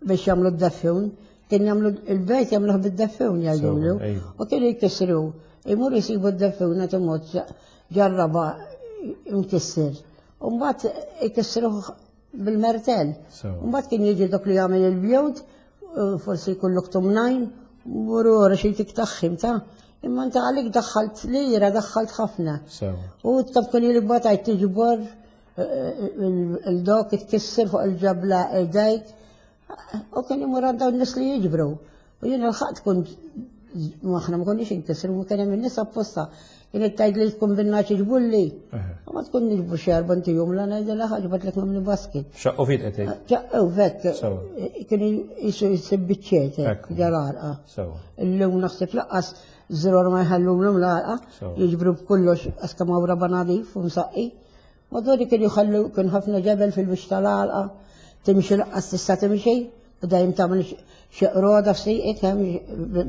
S4: Biex jagħmlu d-deffun, kien jagħmlu il-bejt jagħmluh bid-deffun jgħidulu. U kienu jkissru, imur jsibu d-deffun nagħtu mod ġarraba mkisser. U mbagħad ikissruh bil-mertel. U mbagħad kien jiġi dak li jagħmel il-bjut, forsi jkollok tumnajn, muru wara xi tiktaħħim ta' imma inta għalik daħħalt lira, daħħalt ħafna. U tkun kien il-batajt tiġbor il-dok tkisser fuq il-ġabla idejk. U kien imur għand dawn nies li jiġbru. U jiena l-ħadd kont aħna ma konniex inkissru, ma kien hemm in-nies apposta. Kienet tgħid li tkun bin-naċ iġbulli. U ma tkun niġbu xi erba' ntihom la ngħidilha ħaġbatlek nagħmlu basket.
S3: Xaqqu fit qed tgħid?
S4: Xaqqu fett. Kienu jisu jsib biċċiet ġal-għarqa. Illum naħseb laqqas żror ma jħallulhom l-għarqa, jiġbru b'kollox għax kemm hawn raba' nadif u msaqqi. Madwar kienu jħallu kien ħafna ġebel fil-biex tal-għalqa. Timxi laqqas tista' timxi, u dejjem tagħmel xi qroda f'sieqek hemm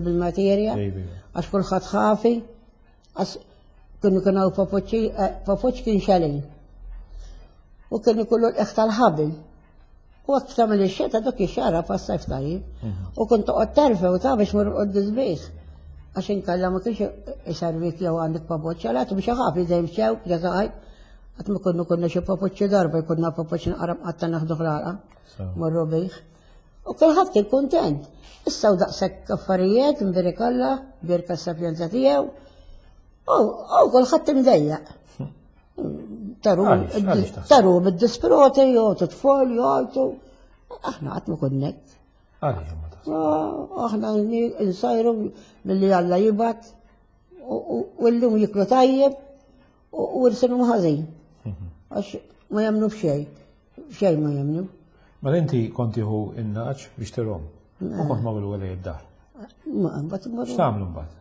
S4: bil-materja, għax kulħadd ħafi. Għax kienu kienu papoċċi, papoċ kien xalin. U kien ikollu l-eħ tal-ħabil. U għak tagħmel ix-xeta dak ix-xara passajf tajjeb. U kont toqgħod terfe u ta' biex mur qoddis bih. Għax inkella ma kienx iservik jew għandek papoċċa, la biex ħafi dejjem xew, ġazaqaj. Qatt ma konna konna xi papoċċi darba jkunna papoċċi naqra mqatta naħdu ħlala. Morru bih. U kulħadd kien kuntent. Issa u daqshekk affarijiet nbierek Alla, bierka s-sapjenza tiegħu. U u kulħadd imdejjaq. Taru,
S3: Għaliex? Għaliex taħseb?
S4: taru bid-disproti, jew titfol, jgħajtu. Aħna qatt ma konna hekk.
S3: Għaliex ma taħseb?
S4: Ah, Aħna nsajru milli Alla jibgħat u u llum jiklu tajjeb u u rsinhom ħażin. Għax ma jemmnu f'xejn. F'xejn ma jemmnu.
S3: Mela inti kont tieħu in-nagħaġ biex tirgħahom. U kont magħmlu għalej id-dar.
S4: Ma mbagħad immorru.
S3: X'tagħmlu mbagħad?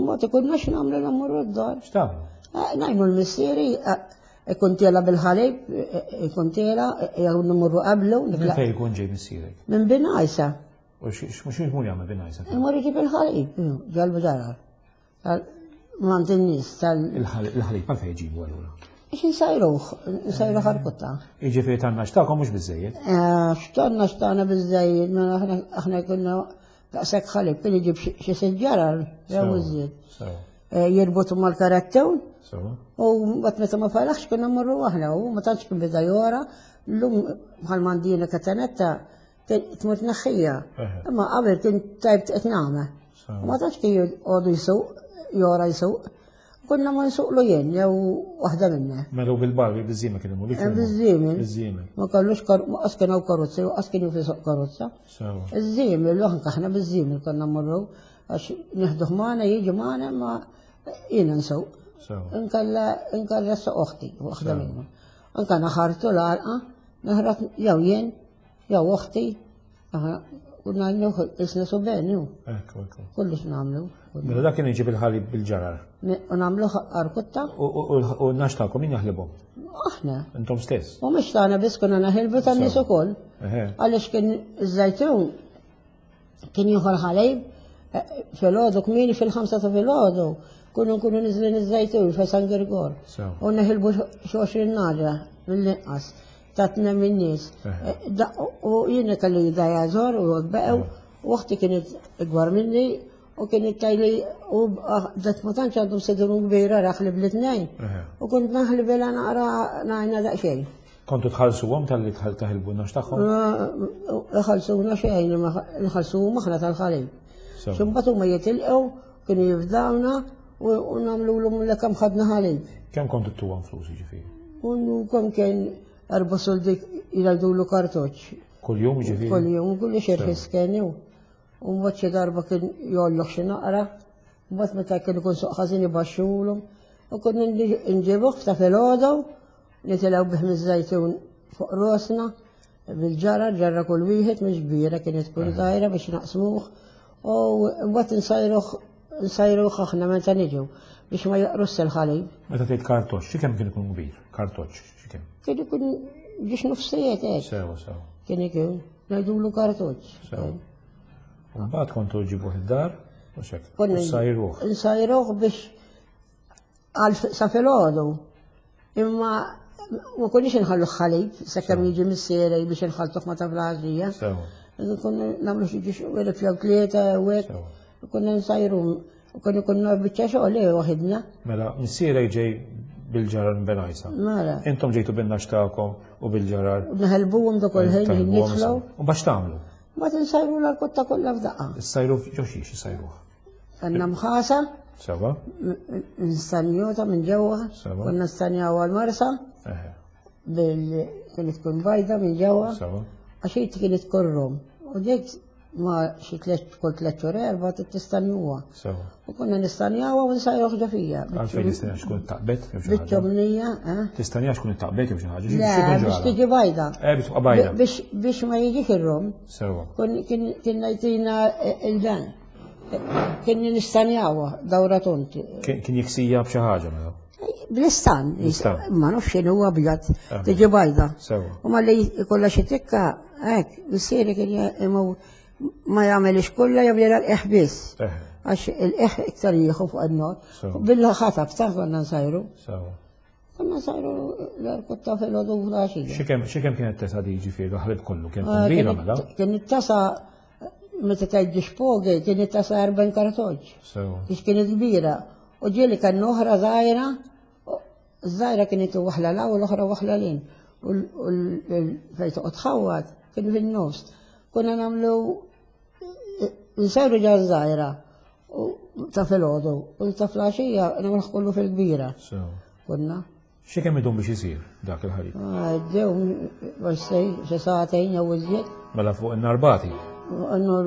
S4: Ma tikunnax nagħmlu mmorru d-dar.
S3: X'tagħmlu?
S4: Eh, Ngħinu l-missieri ikun tiela bil-ħalib, ikun tiela, jew mmorru qablu.
S3: Minn fejn ikun ġej missierek?
S4: Minn Bengħajsa.
S3: U x'mhux jmur jagħmel Bengħajsa?
S4: Imur iġib il-ħalib, ġalbu darar. Mant in-nies tal.
S3: Il-ħalib għalfejn jġibu allura?
S4: Ix nsajruh, nsajruh għal-kutta.
S3: Jiġifieri tan-nagħaġ tagħkom mhux biżejjed.
S4: X'tonna xtana biżejjed, mela aħna aħna konna daqshekk ħalib, kien iġib xi sitt ġarar, jew iżjed.
S3: Sewa.
S4: Jirbutu mal-karattun,
S3: Sewa.
S4: u mbagħad meta ma falaħx konna mmorru aħna, u ma tantx kien bida jora, llum bħal mandina katanetta tmur tneħħija.
S3: Eħe.
S4: Imma qabel kien tajb qed nagħmel.
S3: Sewa.
S4: Ma tantx kien jgħodu jsuq, jora jsuq. Konna ma nsuqlu jien, jew waħda minna.
S3: Mela u bil-barbi biż-żiemel kien imur.
S4: Biż-żiemel.
S3: Biż-żiemel.
S4: Ma kellux kar, ma qas kien hawn karozza, u qas kien jisuq karozza.
S3: Sewa.
S4: Iż-żiemel, l aħna biż-żiemel konna mmorru, għax nieħduh magħna, jiġi magħna, ma jiena nsuq.
S3: Sewa.
S4: Inkella inkella suq oħti, waħda minnhom. Anka naħartu l-għalqa, naħrat jew jien, jew oħti, aħna kunna nieħu isna subien, ju,
S3: Ekku, ekku.
S4: kollox nagħmlu.
S3: Mela dak kien iġib il-ħalib bil-ġarar.
S4: U nagħmlu arkutta,
S3: U u- u n-nagħaġ tagħkom min jaħlibhom?
S4: aħna.
S3: Intom stess.
S4: U mhux tagħna biss konna naħilbu tan-nies ukoll.
S3: Eħe.
S4: Għaliex kien iż-żajtun kien jieħu l-ħalib eh, filgħodu kmieni fil-ħamsa ta' filgħodu kunu nkunu niżlin iż-żajtun fe San Girgor.
S3: Sewa.
S4: U neħilbu xi għoxrin nagħġa mill-inqas ta' tnejn min-nies.
S3: Eħe.
S4: Eh, da- U jiena kelli jdajja żor u beqew u uħti kienet ikbar minni u kienet tajli u dat ma tantx għandhom sidru kbira raħli bl-itnejn.
S3: Eħe.
S4: U kont naħli naqra ngħajna daqsxejn.
S3: Kontu tħallsuhom talli taħilbu n-nagħaġ tagħhom?
S4: Nħallsuna xejn, nħallsu aħna tal-ħalib.
S3: Sewa.
S4: X'imbagħad huma jitilqu, kienu jifdawna u u nagħmlu l kemm ħadna ħalib.
S3: Kemm kontu ttuhom flus jiġifieri?
S4: U kemm kien erba' soldi jgħidulu kartoċ.
S3: Kull-jum jiġifieri?
S4: Kull jum, kulli xi kien ju. U mbagħad xi darba kien jolloh xi naqra, mbagħad meta kien ikun suq ħażin ibaxxulhom. U konna nġibuh ta' filgħodu, nitilgħu bih miż-żajtun fuq rosna, bil-ġara, ġarra kull wieħed mhux kbira kienet tkun żgħira biex naqsmuh. U mbagħad nsajruh nsajruh aħna meta niġu biex ma jaqrus il-ħalib.
S3: Meta tgħid kartoċ, xi kemm kien ikun kbir? Kartoċ, xi kemm?
S4: Kien ikun ġiex nofsijiet hekk.
S3: Sewa, sewa.
S4: Kien ikun ngħidulu kartoċ.
S3: Sewa. U mbagħad kontu ġibuh id-dar u xek.
S4: Konna
S3: Sajruh.
S4: Nsajruh biex għal sa filgħodu. Imma ma konniex inħallu ħalib sakemm jiġi missieri biex inħaltuh ma ta' fl-għaxija.
S3: Sewa.
S4: Konna nagħmlu xi ġiex wieħed jew tlieta u hekk.
S3: Sewa.
S4: Konna nsajru u konna konna biċċa xogħol eh, waħidna.
S3: Mela, missierek ġej bil-ġarar minn Bengħajsa.
S4: Mela.
S3: Intom ġejtu bin-nagħaġ tagħkom u bil-ġarar.
S4: Naħelbuhom dak il ħin
S3: Taħilbuhom,
S4: nitfgħu.
S3: U biex tagħmlu?
S4: Ma tinsajru l-kotta kollha f'daqqa.
S3: Issajru ġo xiex issajruh.
S4: Għandna mħasa,
S3: Sewa?
S4: nstanjota minn ġewwa,
S3: Sewa.
S4: konna nstanjaw għal-marsa,
S3: Eħe.
S4: bil kienet tkun bajda minn ġewwa,
S3: Sewa.
S4: għax hi kienet tkun rom. U dik ma xi tliet kull tliet xhur erba' tistanjuha.
S3: Sewa.
S4: U konna nistanjawha u nsajruh ġo fija.
S3: Għalfejn tistanja xkun taqbet jew xi ħaġa.
S4: Biċ-ċomnija, eh?
S3: Tistanja xkun taqbet jew xi ħaġa.
S4: Le, biex tiġi bajda.
S3: Eh, biex tibqa' bajda.
S4: Biex biex ma jiġix ir-rom.
S3: Sewa.
S4: Kien kien kien ngħidina il-dan. Kien nistanjawha dawra tont.
S3: Kien kien jiksija b'xi ħaġa mela.
S4: Bl-istan,
S3: Bl-istan.
S4: ma nafx x'inhu huwa abjad,
S3: Ah.
S4: tiġi bajda.
S3: Sewa.
S4: U ma li jkollha xi tikka, hekk, missieri kien imur ma jagħmelix kollha jagħmel l biss.
S3: Eħe.
S4: Għax il-eħ iktar jieħu fuq in-nar.
S3: Sewa.
S4: Bil-ħatab ta' konna nsajru.
S3: Sewa.
S4: Konna nsajru l-irkotta fil-ħodu fl-għaxija.
S3: Xi kemm xi kemm kienet tesa' di ġifieri l-ħalib kollu kien
S4: Ah,
S3: kbira
S4: kienet-
S3: mela?
S4: Kienet tasa, meta tgħid xpogi, kienet tasa erbgħin kartoġ.
S3: Sewa.
S4: Biex kienet kbira. U ġieli kan oħra żgħira, u żgħira kienet waħla la u l-oħra waħla lin. U l- u l- fejn toqgħod tħawwad kien fin-nofs. Konna nagħmlu nsajru ġa żgħira u ta' filgħodu u ta' flaxija nagħmlu kollu fil-kbira.
S3: Sewa.
S4: Konna.
S3: Xi kemm idum biex isir dak il-ħalib?
S4: Għaddew, xi xi sagħtejn jew iżjed.
S3: Mela fuq in-narbati.
S4: Għannu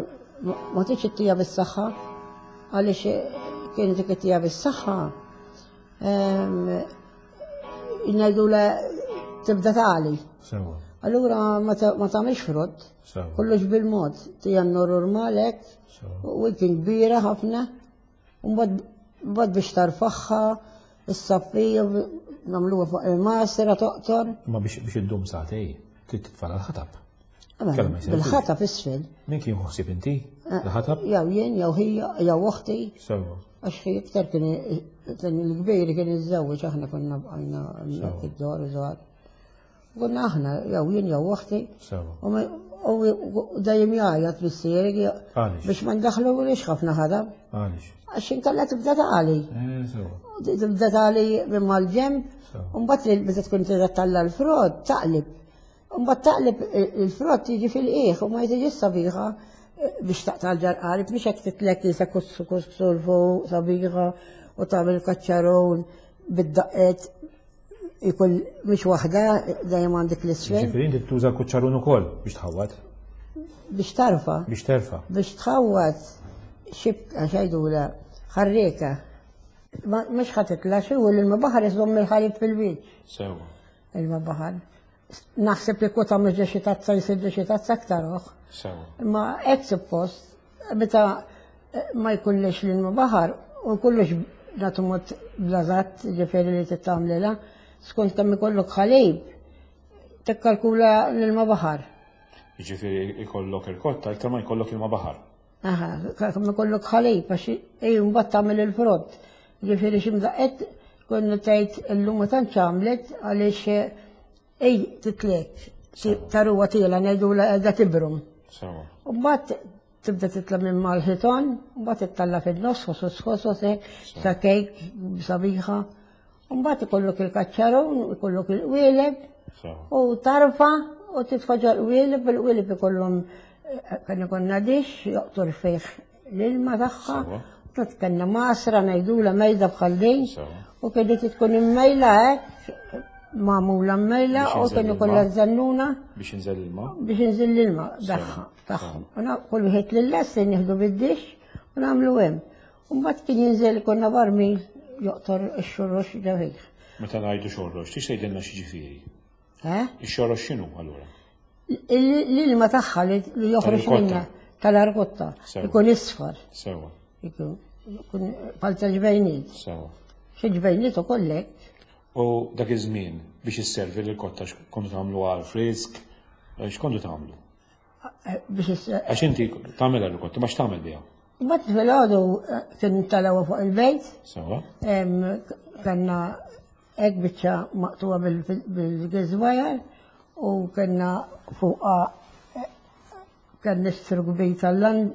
S4: ma tix ittija bis-saħħa għaliex kienet dik ittija bis-saħħa. Ngħidu la tibda tali.
S3: Sewa.
S4: Allura ma ta- ma tagħmilx frott,
S3: Sewa.
S4: kollox bil-mod, tija n-normal hekk,
S3: Sewa.
S4: u kien kbira ħafna, u mbagħad mbagħad biex tarfaħħa, is-saffija, nagħmluha fuq il-masra toqtor.
S3: Ma biex biex iddum sagħtej, trid titfala l-ħatab. Kellha ma jsir.
S4: Bil-ħatab isfel.
S3: Min kien ħsieb inti? L-ħatab?
S4: Jew jien, jew hija, jew oħti.
S3: Sewa.
S4: Għax hi iktar kien kien il-kbir kien iżżewweġ aħna konna bqajna hemmhekk id-dor żgħar. Konna aħna jew jien jew oħti.
S3: Sewa.
S4: U ma- u dejjem jgħajjat missieri
S3: Għaliex?
S4: biex ma ndaħlu ħafna ħadab.
S3: Għaliex?
S4: Għax inkella tibda tagħli.
S3: Eh, sewa.
S4: Tibda tagħli minn mal-ġemb,
S3: Sewa.
S4: u mbagħad li meta tkun tibda talla l-frott taqlib. U mbagħad taqlib il-frott jiġi fil-qiegħ u ma jiġi sabiħa eh, biex taqta' l-ġarqarib, mhux hekk titlek jisa kussu kussu l fuq sabiħa u tagħmel kaċċarun bid-daqqet ikun mhux waħda dejjem għandek l-isfel
S3: Ġifieri inti tuża kuċċarun ukoll biex tħawwad,
S4: biex tarfa
S3: biex terfa'.
S4: biex tħawwad xibka xajdula ħarreka. Ma- Mhux ħa titla' xi u l-ilma baħar iżomm il-ħalib fil-wiċċ.
S3: Sewa.
S4: Ilma baħar. Naħseb li kota mhux xi tazza jsir xi tazza aktar oħ.
S3: Sewa.
S4: Imma hekk suppost meta eh, ma jkunlix l-ilma baħar u jkollux nagħtu mod blażat ġifieri li tittamlilha, skont kemm ikollok ħalib tikkalkula l-ilma baħar.
S3: Ġifieri ikollok il-kotta iktar ma jkollok ilma baħar.
S4: Aha, kemm ikollok ħalib għax ej mbagħad tagħmel il-frott. Ġifieri xi mdaqqet konna tgħid illum ma tantx għamlet għaliex ej titlek taruwa tiela ngħidu qiegħda tibrum.
S3: Sewa.
S4: U mbagħad tibda titla' minn mal-ħitan, u mbagħad tittalla fin-nofs ħosos ħosos hekk sa kejk sabiħa. U mbagħad ikollok il-kaċċarun, ikollok il-qwieleb,
S3: Sewa.
S4: u tarfa u titfaġa l-qwieleb, il-qwieleb ikollhom eh, kien ikollna dix joqtor fih l-ilma tagħha.
S3: Sewa.
S4: Tot kellna masra ngħidula mejda bħal din.
S3: Sewa.
S4: U kienet tkun immejla hekk, magħmula mmejla
S3: Biex
S4: u
S3: jinżel
S4: kien
S3: l-ilma.
S4: ikollha żannuna
S3: Biex jinżel l-ilma.
S4: biex inżil l-ilma tagħha tagħhom. U na- kull wieħed lill-lest nieħdu bid-dix u nagħmlu hemm. U mbagħad kien jinżel konna barmil joqtor ix-xorrox ġewħih.
S3: Meta ngħidu xorrox, tix tgħidilna xi ġifieri?
S4: Eh?
S3: Ix-xorrox x'inhu allura?
S4: L-ilma tagħha li li joħroġ
S3: Tal-irkotta.
S4: minna tal-argotta
S3: Sewa.
S4: ikun isfar,
S3: Sewa.
S4: ikun ikun bħal ta' ġbejniet.
S3: Sewa.
S4: Xi ġbejniet ukoll hekk.
S3: U dak iż-żmien biex isservi l-kotta x'kontu tagħmlu għal frisk, x'kontu tagħmlu?
S4: eh, biex is-
S3: Għax inti tagħmel l-kotta, ma x'tagħmel biha?
S4: Mbagħad filgħodu eh, kien talgħu fuq il-bejt,
S3: Sewa.
S4: em, kellna hekk biċċa maqtuwa bil-gizwajar u kellna fuqha eh, kien nistru kbir tal-lan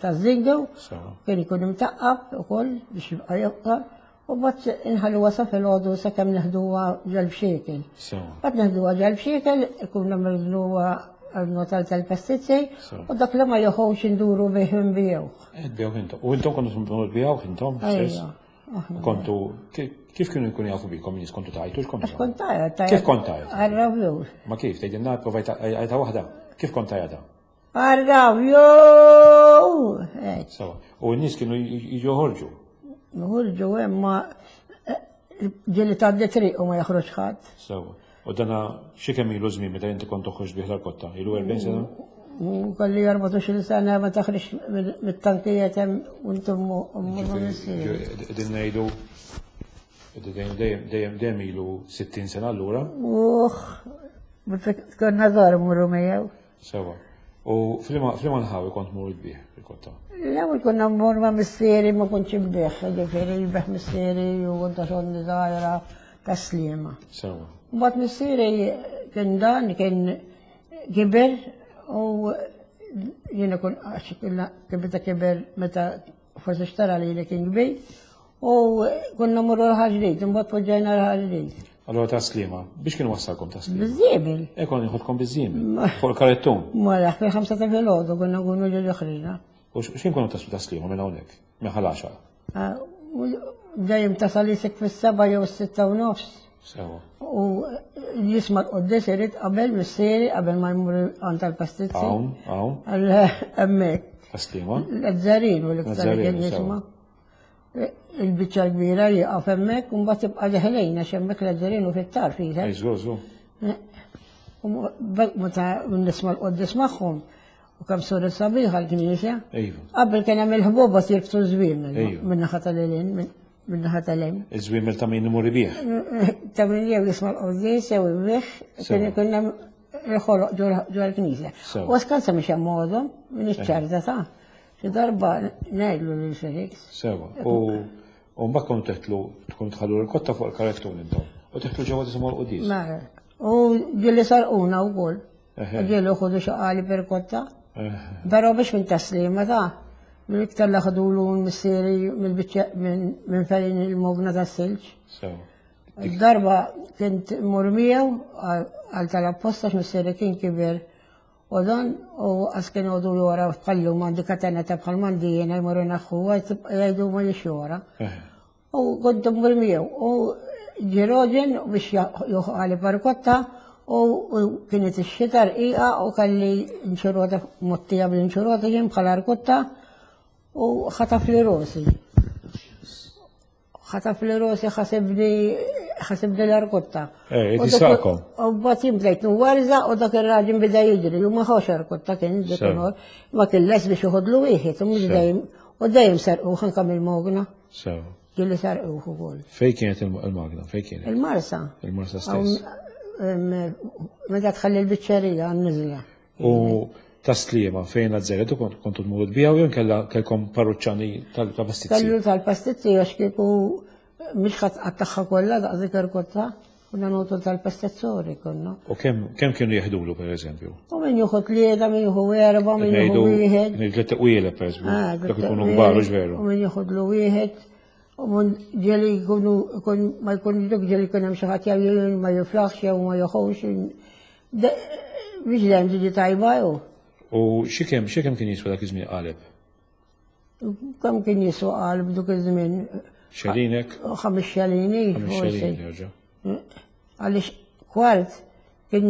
S4: tal-zingu,
S3: Sewa.
S4: kien ikun imtaqqab ukoll biex jibqa' jibqa' u mbagħad inħalluha sa filgħodu sakemm neħduha ġol-bxiekel.
S3: Sewa.
S4: Mbagħad neħduha ġol-bxiekel, ikun nagħmluha notal tal-pastizzi
S3: Sewa.
S4: u dak li ma joħux induru bih nbijewh.
S3: Tbigħuh intom. U intom kontu tbigħuh intom stess?
S4: Ejja, aħna.
S3: Kontu, ki- kif kienu jkunu jafu bikom nies kontu tajtu, x'kontu?
S4: Għax kont tajja,
S3: Kif kont tajja?
S4: Għarraw
S3: Ma kif, tgħidilna provajt għajta waħda. Kif kont tajjata?
S4: Għarraw jew!
S3: Sewa. U n-nies kienu jiġu joħorġu.
S4: Nħurġu hemm ma ġieli tgħaddi triq u ma joħroġ ħadd.
S3: Sewa. U dana xi kemm ilu żmien meta inti kont toħroġ bih l-kotta? Ilu erbgħin sena?
S4: U kelli erbatax-il sena ma taħriġ mit-tankijiet hemm u intom ummu missieri.
S3: Qegħdin ngħidu qegħdin dejjem dejjem dejjem ilu sittin sena allura.
S4: Uħ, konna żgħar mmorru miegħu.
S3: Sewa. U f'liema nħawi kont mur tbigħ il-kotta?
S4: L-ewwel konna mmur ma' missieri ma kontx inbigħ, ġifieri jbigħ missieri u kont għax żgħira tas-Sliema.
S3: Sewa.
S4: Mbagħad missieri kien dan kien kiber u jiena kun għax kibita kiber meta forsi xtara li li kien kbir u konna mmorru l-Ħaġrid, imbagħad poġġejna l-Ħaġrid.
S3: Allora tas-Sliema, biex kien wassalkom tas-Sliema?
S4: Biż-żiemel.
S3: E konna jħodkom biż-żiemel, fuq il-karettun.
S4: Mela, fil-ħamsa ta' filgħodu konna nkunu ġeġu ħriġna.
S3: U x'kien konu taslu tas-Sliema minn hawnhekk, minn Ħal Għaxaq?
S4: Dejjem tasal isek fis-seba' jew s-sitta u nofs.
S3: Sewa.
S4: U jisma' l-quddies irid qabel missieri qabel ma jmur għand tal-pastizzi.
S3: Hawn, hawn.
S4: Għal hemmhekk.
S3: Tas-Sliema?
S4: L-Azzarin u l-iktar kien jisma'. Il-biċċa l-kbira jieqaf hemmhekk u mbagħad tibqa' deħlejn għax hemmhekk l-Azzarin u fit-tarf jisek.
S3: Ej, żgur, żgur.
S4: U meta nisma' l-quddies magħhom u kemm sura sabiħa l-knisja.
S3: Iva.
S4: Qabel kien hemm il-ħbuba jirbtu żwiemel
S3: Ejju.
S4: min-naħa tal-ilin, min-naħa tal-hemm.
S3: Iż-żwiemel ta' min imur ibigħ.
S4: Ta' min jew jisma' l-quddies jew ibigħ, kien ikun hemm il-ħoloq ġol l-knisja.
S3: Sewa.
S4: U skansa mhix hemm għodhom, minn iċ-ċarta ta' xi darba ngħidlu lil Felix.
S3: Sewa. U u mbagħad kont teħtlu tkun tħallu l-kotta fuq il-karettun intom. U teħtlu ġewwa tisimgħu l-quddies.
S4: Mela. U ġieli sarquna wkoll.
S3: Eħe.
S4: Ġieli ħudu xi qali per kotta.
S3: Eħe.
S4: Però biex minn taslima ta' mill-iktar li ħadulu missieri mill-biċċa minn fejn il-mogna tas-silġ.
S3: Sewa.
S4: Darba kint mur miegħu għal tal-apposta x'missieri kien kiber u dan u għas kien għodu wara bħallu m'għandi katena ta' bħal m'għandi jiena jmorru naħħu jgħidu ma jiex wara.
S3: Eħe.
S4: U kont mmur miegħu u ġiroġen biex joħqali parkotta u kienet ix-xita rqiqa u kelli nċurota mottija bl-inċurota jien bħala rkotta u ħataf li rosi. Ħataf li rosi ħasibni ħasibni l-arkotta.
S3: Eh,
S4: U dak-
S3: jisaqkom.
S4: U mbagħad jien bdejt nwarża u dak ir-raġel beda jiġri u ma ħawx arkotta kien dik
S3: Sew.
S4: inhor. Ma kien les biex joħodlu wieħed u mhux
S3: Sew.
S4: dejjem u dejjem sarqu anke mill-mogna.
S3: Sewa.
S4: Ġieli sarquh ukoll.
S3: Fejn kienet il-magna? Fejn kienet?
S4: Il-Marsa.
S3: Il-Marsa stess.
S4: Em, Meta tħalli l-biċċerija għan-niżla.
S3: U tas-Sliema fejn l-Azzaretu kont kontu tmur tbigħu jew kellha kellkom parruċċani tal-pastizzi?
S4: Kellu tal-pastizzi għax kieku mhix ħadd qattagħha kollha daqs dik irkotta, konna notu tal-pastizzori konna.
S3: U kemm kemm kienu jeħdulu pereżempju?
S4: U min jieħu tlieta, min jieħu erba', min jieħu wieħed.
S3: Ngħidu tliet tqwielek pereżempju.
S4: Ah,
S3: Dak ikunu kbar u veru.
S4: U min jieħudlu wieħed. U min ġieli jkunu jkun ma jkun dik ġieli jkun hemm xi ħadd jew ma jiflaħx jew ma joħux. Mhix dejjem tiġi tajba jew.
S3: U xi kemm xi kemm kien jiswa dak iż-żmien qaleb?
S4: Kemm kien jiswa qalb dak iż-żmien?
S3: Xelinek?
S4: Ħames xelini.
S3: Ħames
S4: forsi.
S3: xelin jerġa'.
S4: Għaliex kwart kien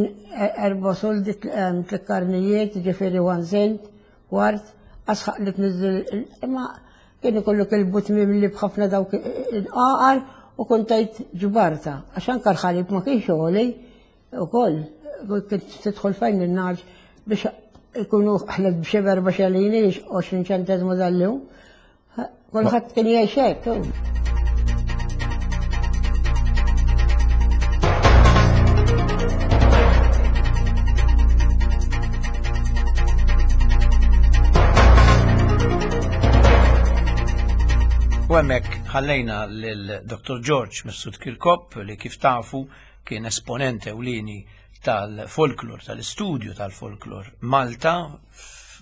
S4: erba' soldi tliet karnijiet, ġifieri one cent, kwart, asħaq li tniżżel imma kien ikollok il-but mimli b'ħafna dawk il-qaqar u kont tgħid ġbarta. Għax anke l-ħalib ma kienx għoli ukoll kont tidħol fejn in-nar biex ikunu ħlet b'xi erba' xelini għoxrin ċenteżmu dal-lum. Kulħadd kien jgħix hekk.
S1: U hemmhekk ħallejna lil Doktor George Mifsud Kirkop li kif tafu kien esponent ewlieni tal-folklor, tal-istudju tal-folklor Malta,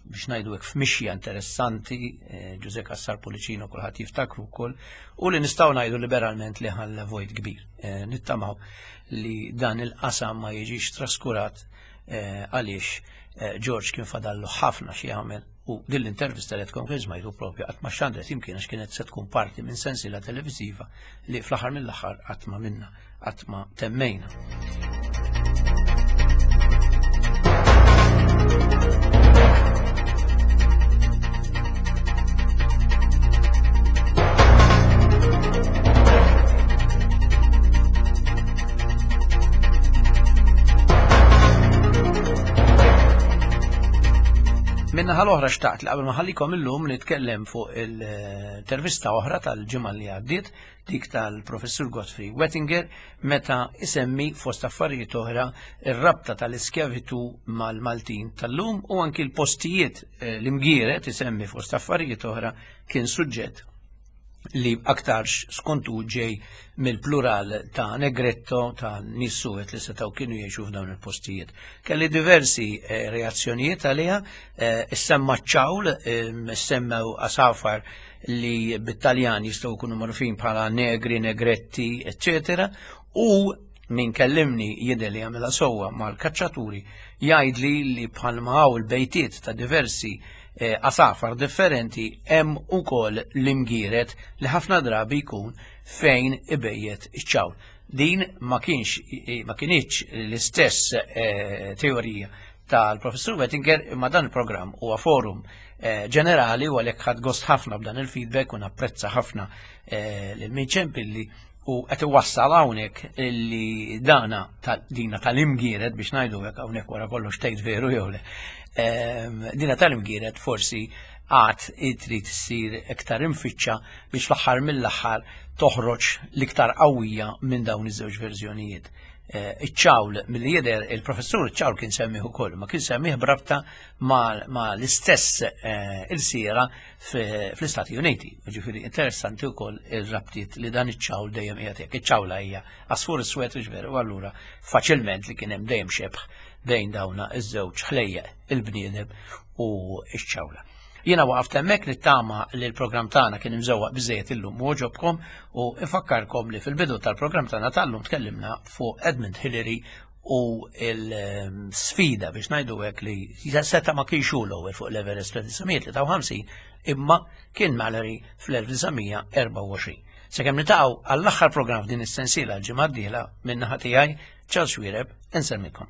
S1: biex ngħidu hekk f'mixja interessanti, eh, Ġużè Cassar Pullicino kulħadd jiftakru wkoll, u li nistgħu ngħidu liberalment li ħalla vojt kbir. Eh, nittamaw li dan il-qasam ma jiġix traskurat, eh, għaliex, eh, George kien fadallu ħafna xi jagħmel. U din l-intervista li tkun kien smajtu propju qatt ma xandret imkien għax kienet se tkun parti minn sensiela televiżiva li fl-aħħar mill-aħħar qatt ma minna, qatt ma temmejna. Min-naħa l-oħra xtaqt li qabel ma ħallikom illum nitkellem fuq il-intervista oħra tal-ġimgħa li għaddiet, dik tal-Professur Godfrey Wettinger, meta isemmi fost affarijiet oħra ir-rabta tal-iskjavitu mal-Maltin tal-lum u anki l-postijiet eh, l-imgieret isemmi fost affarijiet oħra kien suġġett li aktarx skontu ġej mill-plural ta' negretto ta' nies suwed li setgħu kienu jgħixu f'dawn il-postijiet. Kelli diversi eh, reazzjonijiet għaliha, eh, issemma ċawl, eh, issemmew asafar li bit-Taljan jistgħu jkunu magħrufin bħala negri, negretti, eccetera, u min kellimni jidher li għamilha sewwa mal-kaċċaturi jgħidli li bħalma hawn il-bejtiet ta' diversi eh, asafar differenti hemm ukoll l-imgieret li ħafna drabi jkun fejn ibejjet iċ-ċawl. Din ma kienx ma kinitx l-istess eh, teorija tal-Professur Wettinger, imma dan il-programm huwa forum eh, ġenerali u għalhekk ħadt gost ħafna b'dan il-feedback u napprezza ħafna eh, lil min ċempilli u qed iwassal hawnhekk li dana tal- dina tal-imgieret biex ngħidu hekk, hawnhekk wara kollox tgħid veru jew le. Ehm, Dina tal-imgieret forsi għad trid issir iktar imfittxa biex fl-aħħar mill-aħħar toħroġ l-iktar qawwija minn dawn iż-żewġ verżjonijiet. Eh, Iċ-ċawl, milli jidher il-professur iċ-ċawl kien semmih ukoll, ma kien semmih b'rabta ma, ma l-istess eh, il-sira fl-Istati Uniti. Ġifieri interessanti wkoll ir-rabtiet li dan iċ-ċawl dejjem qiegħed hekk. Iċ-ċawla hija għasfur iswed, veru, u allura faċilment li kien hemm dejjem xebħ bejn dawna iż-żewġ ħlejjeq, il-bniedem u iċ-ċawla. Jiena waqaft hemmhekk, nittama li l-programm tagħna kien imżewwaq biżejjed illum u għoġobkom u ifakkarkom li fil-bidu tal-programm tagħna tal-lum tkellimna fuq Edmund Hillary u l-sfida biex ngħidu hekk li seta' ma kienx hu l-ewwel fuq l-Everest fl-elf disa' mija tlieta u ħamsin imma kien Mallory fl-elf disa' mija erbgħa u għoxrin. Sakemm niltaqgħu għall-aħħar programm f'din is-sensiela l-ġimgħa d-dieħla, min-naħa tiegħi, Charles Xuereb, insellmilkom.